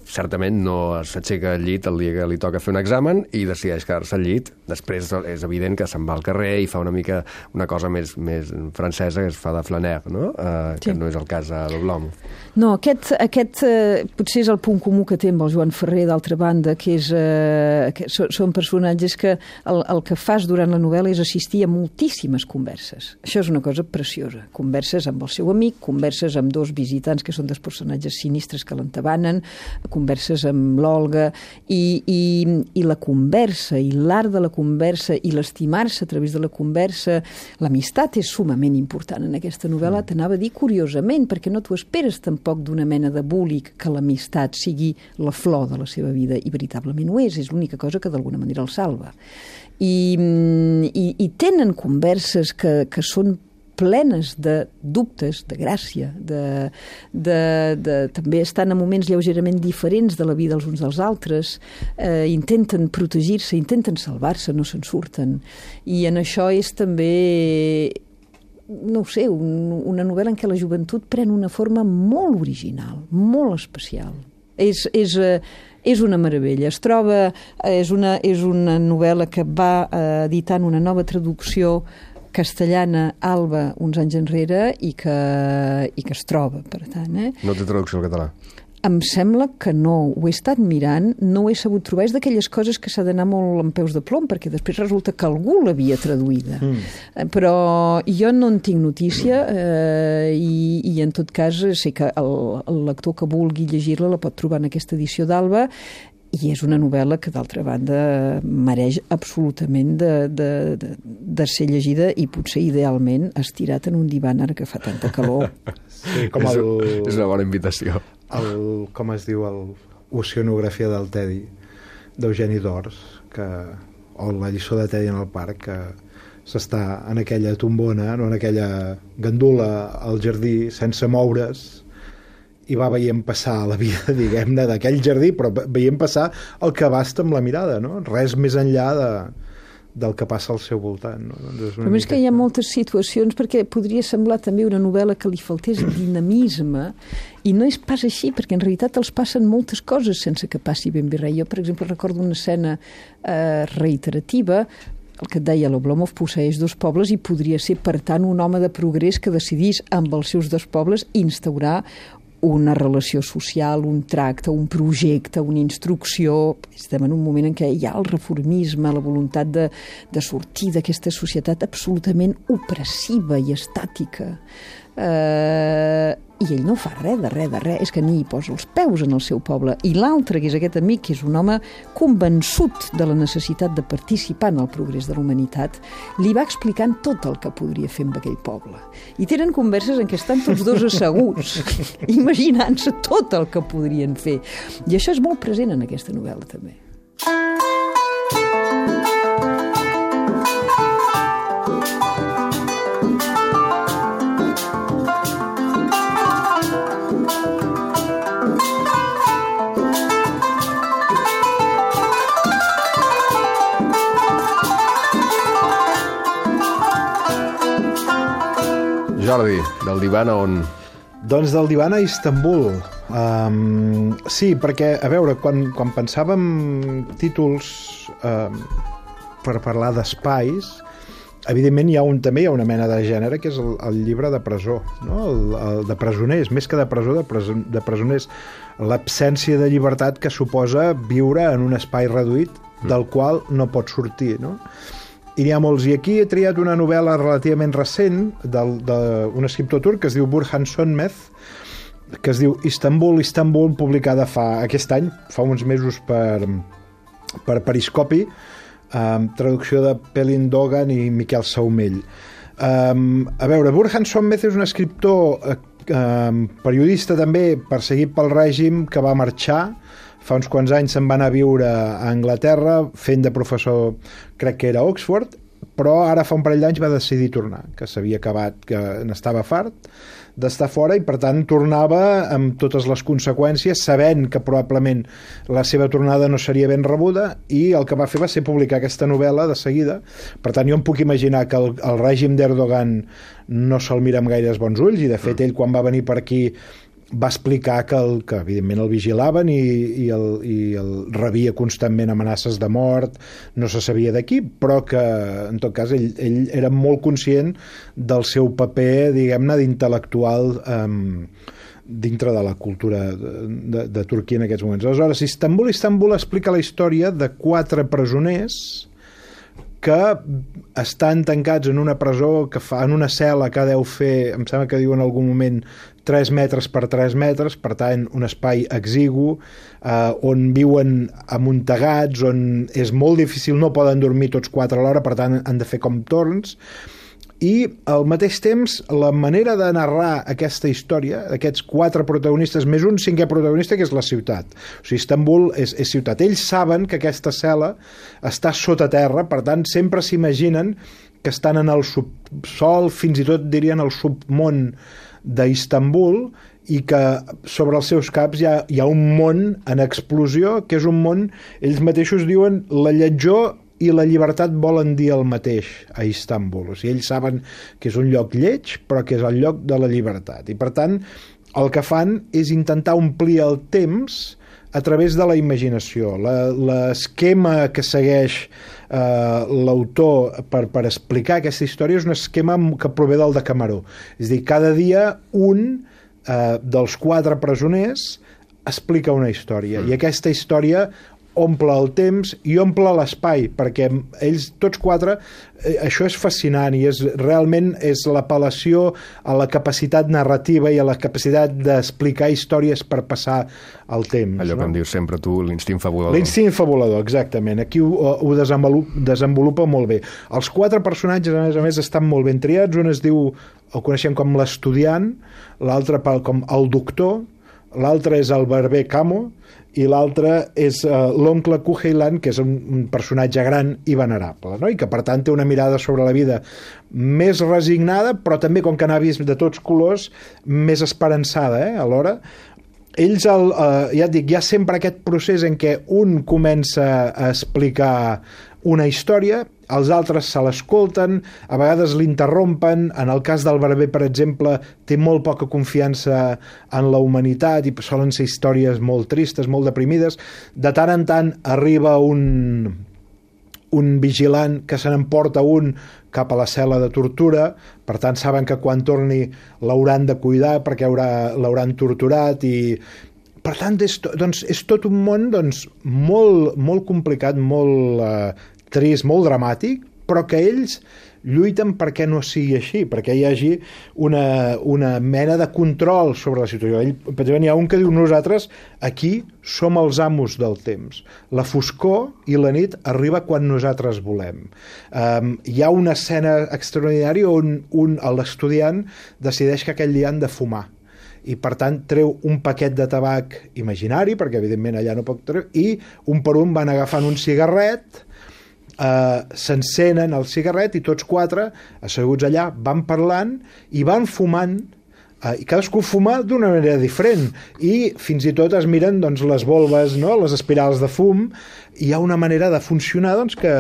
certament no s'aixeca al llit el dia que li toca fer un examen i decideix quedar-se al llit. Després és evident que se'n va al carrer i fa una cosa més francesa, que es fa de flaner, no? Que no és el cas de l'home. No, aquest potser és el punt comú que té amb el Joan Ferrer, d'altra banda, que són personatges que el que fas durant la novel·la és assistir a moltíssimes converses. Això és una cosa preciosa. Converses amb el seu amic, converses amb dos visitants que són dos personatges sinistres que l'entabanen, converses amb l'Olga, i la conversa, i l'art de la conversa, i l'estimar-se a través de la conversa, l'amistat és sumament important en aquesta novel·la, t'anava a dir curiosament, perquè no t'ho esperes tampoc d'una mena de búlic que l'amistat sigui la flor de la seva vida, i veritablement ho és l'única cosa que d'alguna manera el salva. I tenen converses que són plenes de dubtes, de gràcia, també estan a moments lleugerament diferents de la vida els uns dels altres, intenten protegir-se, intenten salvar-se, no se'n surten. I en això és també, no ho sé, una novel·la en què la joventut pren una forma molt original, molt especial. És una meravella. Es troba, és una novel·la que va editant una nova traducció castellana, Alba, uns anys enrere, i que es troba, per tant. No té traducció al català? Em sembla que no. Ho he estat mirant, no ho he sabut trobar. És d'aquelles coses que s'ha d'anar molt amb peus de plom, perquè després resulta que algú l'havia traduïda. Però jo no en tinc notícia, i en tot cas sé que el lector que vulgui llegir-la la pot trobar en aquesta edició d'Alba, i és una novel·la que, d'altra banda, mereix absolutament de ser llegida i potser idealment estirat en un divan ara que fa tanta calor. Sí, és una bona invitació. Com es diu, l'oceanografia del Tedi, d'Eugeni d'Ors, o la lliçó de Tedi en el parc, que s'està en aquella tombona, no, en aquella gandula al jardí, sense moure's, i va veient passar la vida, diguem-ne, d'aquell jardí, però veient passar el que abasta amb la mirada, no? Res més enllà del que passa al seu voltant. No? Doncs però és que hi ha moltes situacions, perquè podria semblar també una novel·la que li faltés dinamisme, i no és pas així, perquè en realitat els passen moltes coses sense que passi ben bé res. Jo, per exemple, recordo una escena reiterativa, el que et deia, l'Oblomov posseeix dos pobles i podria ser, per tant, un home de progrés que decidís amb els seus dos pobles instaurar una relació social, un tracte, un projecte, una instrucció. Estem en un moment en què hi ha el reformisme, la voluntat de sortir d'aquesta societat absolutament opressiva i estàtica. I ell no fa res, és que ni hi posa els peus en el seu poble. I l'altre, que és aquest amic, que és un home convençut de la necessitat de participar en el progrés de la humanitat, li va explicant tot el que podria fer amb aquell poble. I tenen converses en què estan tots dos asseguts, imaginant-se tot el que podrien fer. I això és molt present en aquesta novel·la, també. Jordi, del divan a on? Doncs del divan a Istanbul. Sí, perquè, a veure, quan pensàvem títols per parlar d'espais, evidentment també hi ha una mena de gènere que és el llibre de presó, no? El de presoners, més que de presó, de presoners. L'absència de llibertat que suposa viure en un espai reduït del qual no pots sortir, no? I n'hi ha molts. I aquí he triat una novel·la relativament recent d'un escriptor turc que es diu Burhan Sönmez, que es diu Istanbul, publicada aquest any, fa uns mesos per Periscopi, traducció de Pelin Dogan i Miquel Saumell. A veure, Burhan Sönmez és un escriptor periodista també, perseguit pel règim, que va marxar. Fa uns quants anys se'n va anar a viure a Anglaterra, fent de professor, crec que era a Oxford, però ara fa un parell d'anys va decidir tornar, que s'havia acabat, que n'estava fart d'estar fora, i per tant tornava amb totes les conseqüències, sabent que probablement la seva tornada no seria ben rebuda, i el que va fer va ser publicar aquesta novel·la de seguida. Per tant, jo em puc imaginar que el règim d'Erdogan no se'l mira amb gaires bons ulls, i de fet ell quan va venir per aquí va explicar que evidentment el vigilaven i el rebia constantment amenaces de mort, no se sabia de qui, però que en tot cas ell era molt conscient del seu paper, diguem-ne, d'intel·lectual dintre de la cultura de Turquia en aquests moments. Aleshores, Istanbul explica la història de 4 presoners que estan tancats en una presó en una cel·la que deu fer, em sembla que diu en algun moment 3 metres per 3 metres, per tant un espai exigu, on viuen amuntegats, on és molt difícil, no poden dormir tots 4 alhora, per tant han de fer com torns, i al mateix temps la manera de narrar aquesta història, aquests 4 protagonistes més un 5è protagonista, que és la ciutat. O sigui, Istanbul és ciutat. Ells saben que aquesta cel·la està sota terra, per tant sempre s'imaginen que estan en el subsol, fins i tot dirien el submón d'Istanbul, i que sobre els seus caps hi ha un món en explosió, que és un món, ells mateixos diuen, la lletjor i la llibertat volen dir el mateix a Istanbul. O sigui, ells saben que és un lloc lleig, però que és el lloc de la llibertat. I per tant, el que fan és intentar omplir el temps a través de la imaginació. L'esquema que segueix l'autor per explicar aquesta història és un esquema que prové del Decameró. És a dir, cada dia un dels 4 presoners explica una història, i aquesta història omple el temps i omple l'espai, perquè ells tots 4, això és fascinant, i realment és l'apel·lació a la capacitat narrativa i a la capacitat d'explicar històries per passar el temps. Allò que em dius sempre tu, l'instint fabulador. L'instint fabulador, exactament. Aquí ho desenvolupa molt bé. Els 4 personatges, a més, estan molt ben triats. Un es diu, el coneixem com l'estudiant, l'altre com el doctor, l'altre és el barber Camo, i l'altre és l'oncle Kuheilan, que és un personatge gran i venerable, no? I que per tant té una mirada sobre la vida més resignada, però també, com que n'ha vist de tots colors, més esperançada, alhora. Ells, ja et dic, hi ha sempre aquest procés en què un comença a explicar una història, els altres se l'escolten, a vegades l'interrompen. En el cas del barber, per exemple, té molt poca confiança en la humanitat i solen ser històries molt tristes, molt deprimides. De tant en tant arriba un vigilant que se n'emporta un cap a la cel·la de tortura, per tant saben que quan torni l'hauran de cuidar perquè l'hauran torturat, i per tant és tot un món molt, molt complicat, molt trist, molt dramàtic, però que ells lluiten perquè no sigui així, perquè hi hagi una mena de control sobre la situació. Per exemple, hi ha un que diu: nosaltres aquí som els amos del temps. La foscor i la nit arriba quan nosaltres volem. Hi ha una escena extraordinària on l'estudiant decideix que aquell dia han de fumar, i per tant treu un paquet de tabac imaginari, perquè evidentment allà no pot treure, i un per un van agafant un cigarret, s'encenen el cigarret, i tots 4 asseguts allà van parlant i van fumant, i cadascú fuma d'una manera diferent, i fins i tot es miren les volves, no? Les espirals de fum. Hi ha una manera de funcionar que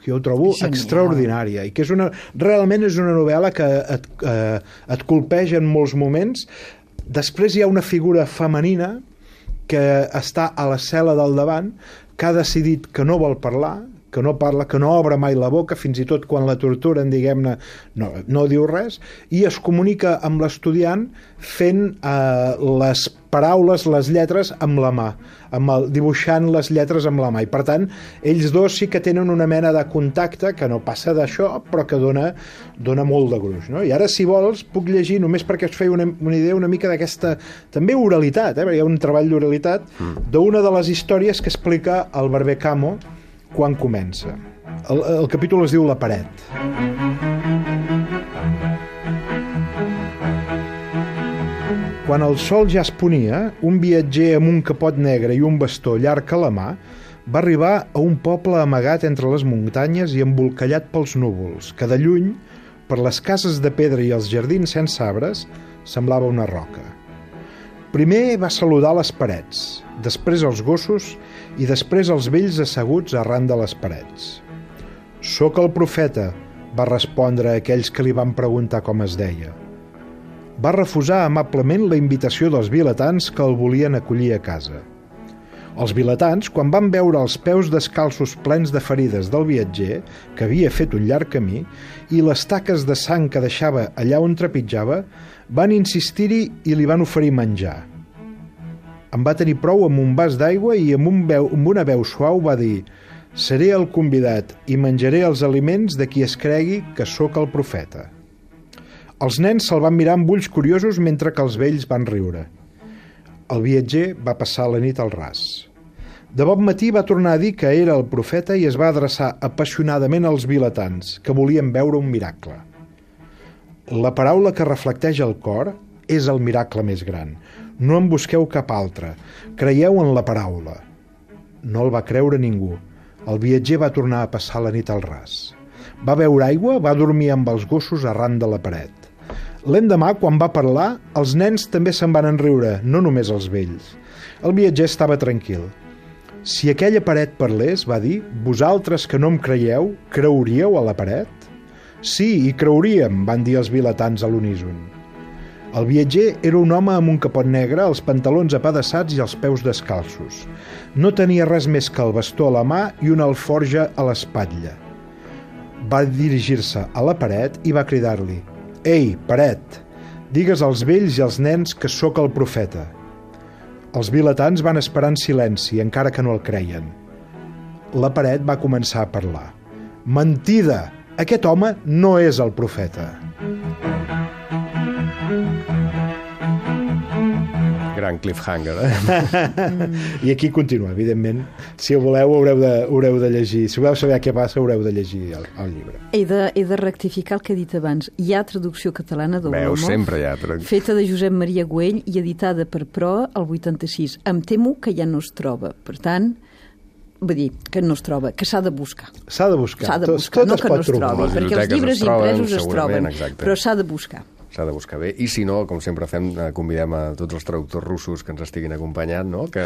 jo ho trobo extraordinària, i que realment és una novel·la que et colpeja en molts moments. Després hi ha una figura femenina que està a la cel·la del davant, que ha decidit que no vol parlar, que no parla, que no obre mai la boca, fins i tot quan la torturen, diguem-ne, no diu res, i es comunica amb l'estudiant fent les paraules, les lletres amb la mà, dibuixant les lletres amb la mà, i per tant ells dos sí que tenen una mena de contacte que no passa d'això, però que dona molt de gruix, no? I ara, si vols, puc llegir, només perquè us feia una idea una mica d'aquesta també oralitat, perquè hi ha un treball d'oralitat d'una de les històries que explica el barber Camo quan comença. El capítol es diu La paret. Quan el sol ja es ponia, un viatger amb un capot negre i un bastó llarg a la mà Va arribar a un poble amagat entre les muntanyes i embolcallat pels núvols, que de lluny, per les cases de pedra i els jardins sense arbres, semblava una roca. Primer va saludar les parets, després els gossos i després els vells asseguts arran de les parets. «Soc el profeta», va respondre a aquells que li van preguntar com es deia. Va refusar amablement la invitació dels vilatans que el volien acollir a casa. Els vilatans, quan van veure els peus descalços plens de ferides del viatger, que havia fet un llarg camí, i les taques de sang que deixava allà on trepitjava, van insistir-hi i li van oferir menjar. En va tenir prou amb un vas d'aigua i amb una veu suau va dir: «Seré el convidat i menjaré els aliments de qui es cregui que sóc el profeta». Els nens se'l van mirar amb ulls curiosos mentre que els vells van riure. El viatger va passar la nit al ras. De bon matí va tornar a dir que era el profeta i es va adreçar apassionadament als vilatans, que volien veure un miracle. La paraula que reflecteix el cor és el miracle més gran. No en busqueu cap altre. Creieu en la paraula. No el va creure ningú. El viatger va tornar a passar la nit al ras. Va beure aigua, va dormir amb els gossos arran de la paret. L'endemà, quan va parlar, els nens també se'n van enriure, no només els vells. El viatger estava tranquil. «Si aquella paret parlés», va dir, «vosaltres que no em creieu, creuríeu a la paret?» «Sí, hi creuríem», van dir els vilatans a l'uníson. El viatger era un home amb un capot negre, els pantalons apedaçats i els peus descalços. No tenia res més que el bastó a la mà i una alforja a l'espatlla. Va dirigir-se a la paret i va cridar-li: «Ei, paret, digues als vells i als nens que sóc el profeta». Els vilatans van esperar en silenci, encara que no el creien. La paret va començar a parlar. «Mentida! Aquest home no és el profeta». Gran cliffhanger, eh? I aquí continua, evidentment. Si ho voleu, haureu de llegir. Si voleu saber què passa, haureu de llegir el llibre. He de rectificar el que he dit abans. Hi ha traducció catalana de Veus, l'Olomov, sempre hi ha traducció. feta de Josep Maria Güell i editada per Proa el 86. Em temo que ja no es troba. Per tant, vull dir, que no es troba, que s'ha de buscar. S'ha de buscar. S'ha de buscar, Tot no es que no pot es trobar. trobi, Les perquè els biblioteques llibres es troben, impresos es troben, segurament, exacte. però s'ha de buscar. S'ha de buscar bé. I si no, com sempre fem, convidem a tots els traductors russos que ens estiguin acompanyant, no? que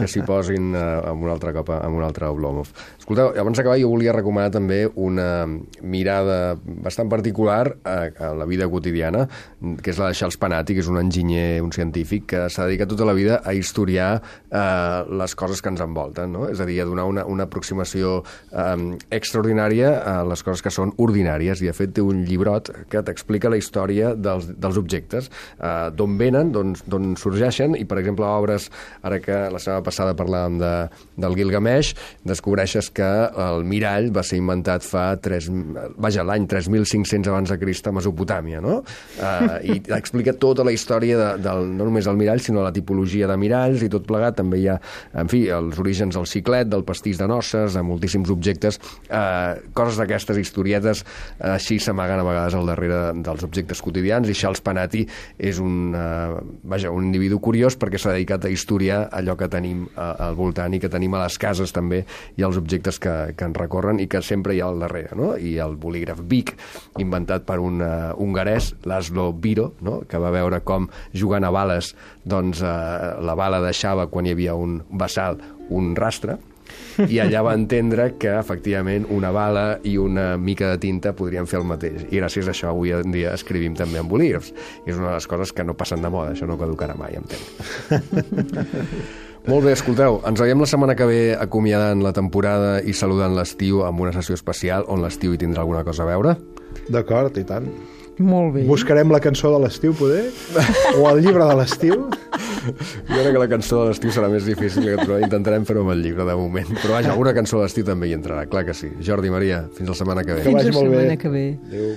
s'hi posin amb un altre cop, amb un altre Oblomov. Escolteu, abans d'acabar jo volia recomanar també una mirada bastant particular a la vida quotidiana, que és la de Charles Panatti, que és un enginyer, un científic, que s'ha dedicat tota la vida a historiar les coses que ens envolten, no? És a dir, a donar una aproximació extraordinària a les coses que són ordinàries, i de fet té un llibrot que t'explica la història dels objectes, d'on venen, d'on sorgeixen, i per exemple obres, ara que la setmana passada parlàvem del Gilgamesh, descobreixes que el mirall va ser inventat l'any 3500 abans de Crist a Mesopotàmia, no? I explica tota la història no només del mirall, sinó la tipologia de miralls i tot plegat. També hi ha, en fi, els orígens del xiclet, del pastís de noces, de moltíssims objectes, coses d'aquestes historietes així s'amaguen a vegades al darrere dels objectes quotidians, i Charles Panatti és un individu curiós perquè s'ha dedicat a historiar allò que tenim al voltant i que tenim a les cases també, i els objectes que ens recorren i que sempre hi ha al darrere, no? I el bolígraf Bic, inventat per un hongarès, Laszlo Biro, no? Que va veure com jugant a bales, doncs la bala deixava, quan hi havia un bassal, un rastre, i allà va entendre que efectivament una bala i una mica de tinta podrien fer el mateix, i gràcies a això avui en dia escrivim també en bolígrafs. És una de les coses que no passen de moda, això no caducarà mai, entenc. Molt bé, escolteu, ens veiem la setmana que ve acomiadant la temporada i saludant l'estiu amb una sessió especial on l'estiu hi tindrà alguna cosa a veure. D'acord, i tant. Molt bé. Buscarem la cançó de l'estiu, poder? O el llibre de l'estiu? Jo crec que la cançó de l'estiu serà més difícil que trobar. Intentarem fer-ho amb el llibre, de moment. Però vaja, alguna cançó de l'estiu també hi entrarà, clar que sí. Jordi, Maria, fins la setmana que ve. Que vagi molt bé. Fins la setmana que ve. Adéu.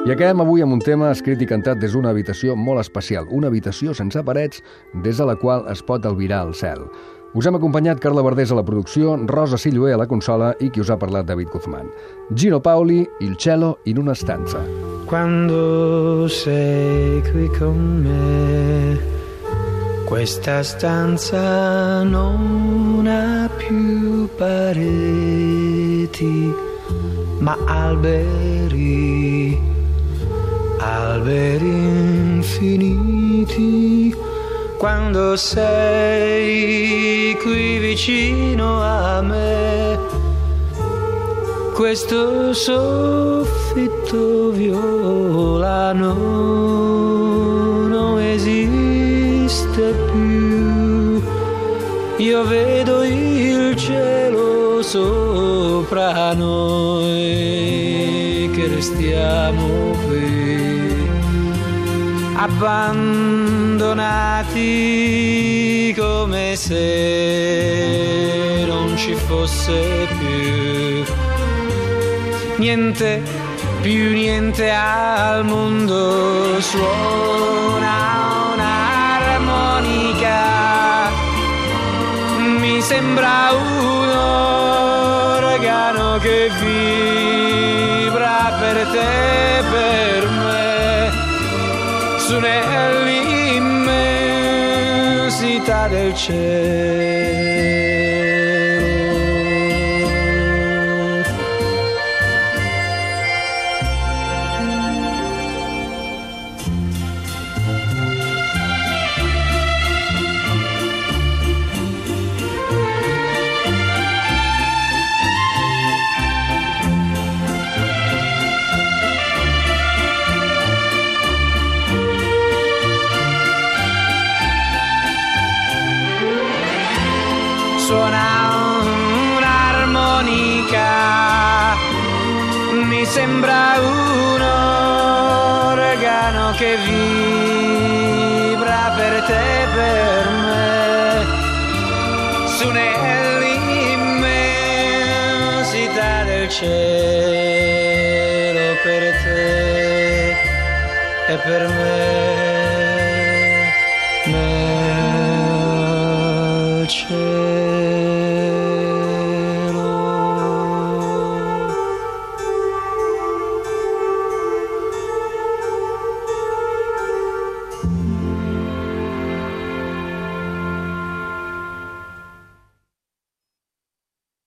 I acabem avui amb un tema escrit i cantat des d'una habitació molt especial, una habitació sense parets des de la qual es pot albirar el cel. Us hem acompanyat Carla Verdés a la producció, Rosa Silloé a la consola i qui us ha parlat, David Guzmán. Gino Paoli, Il cielo in una stanza. quando sei qui con me. Questa stanza non ha più pareti, ma alberi, alberi infiniti. Quando sei qui vicino a me, questo soffitto violano non esiste più. Io vedo il cielo sopra noi, che restiamo qui, abbandonati come se non ci fosse più niente, più niente al mondo. Suona un'armonica, mi sembra un organo che vibra per te e per me, su nell'immensità del cielo. Suona un'armonica, mi sembra un organo che vibra per te e per me, su nell'immensità del cielo, per te e per me.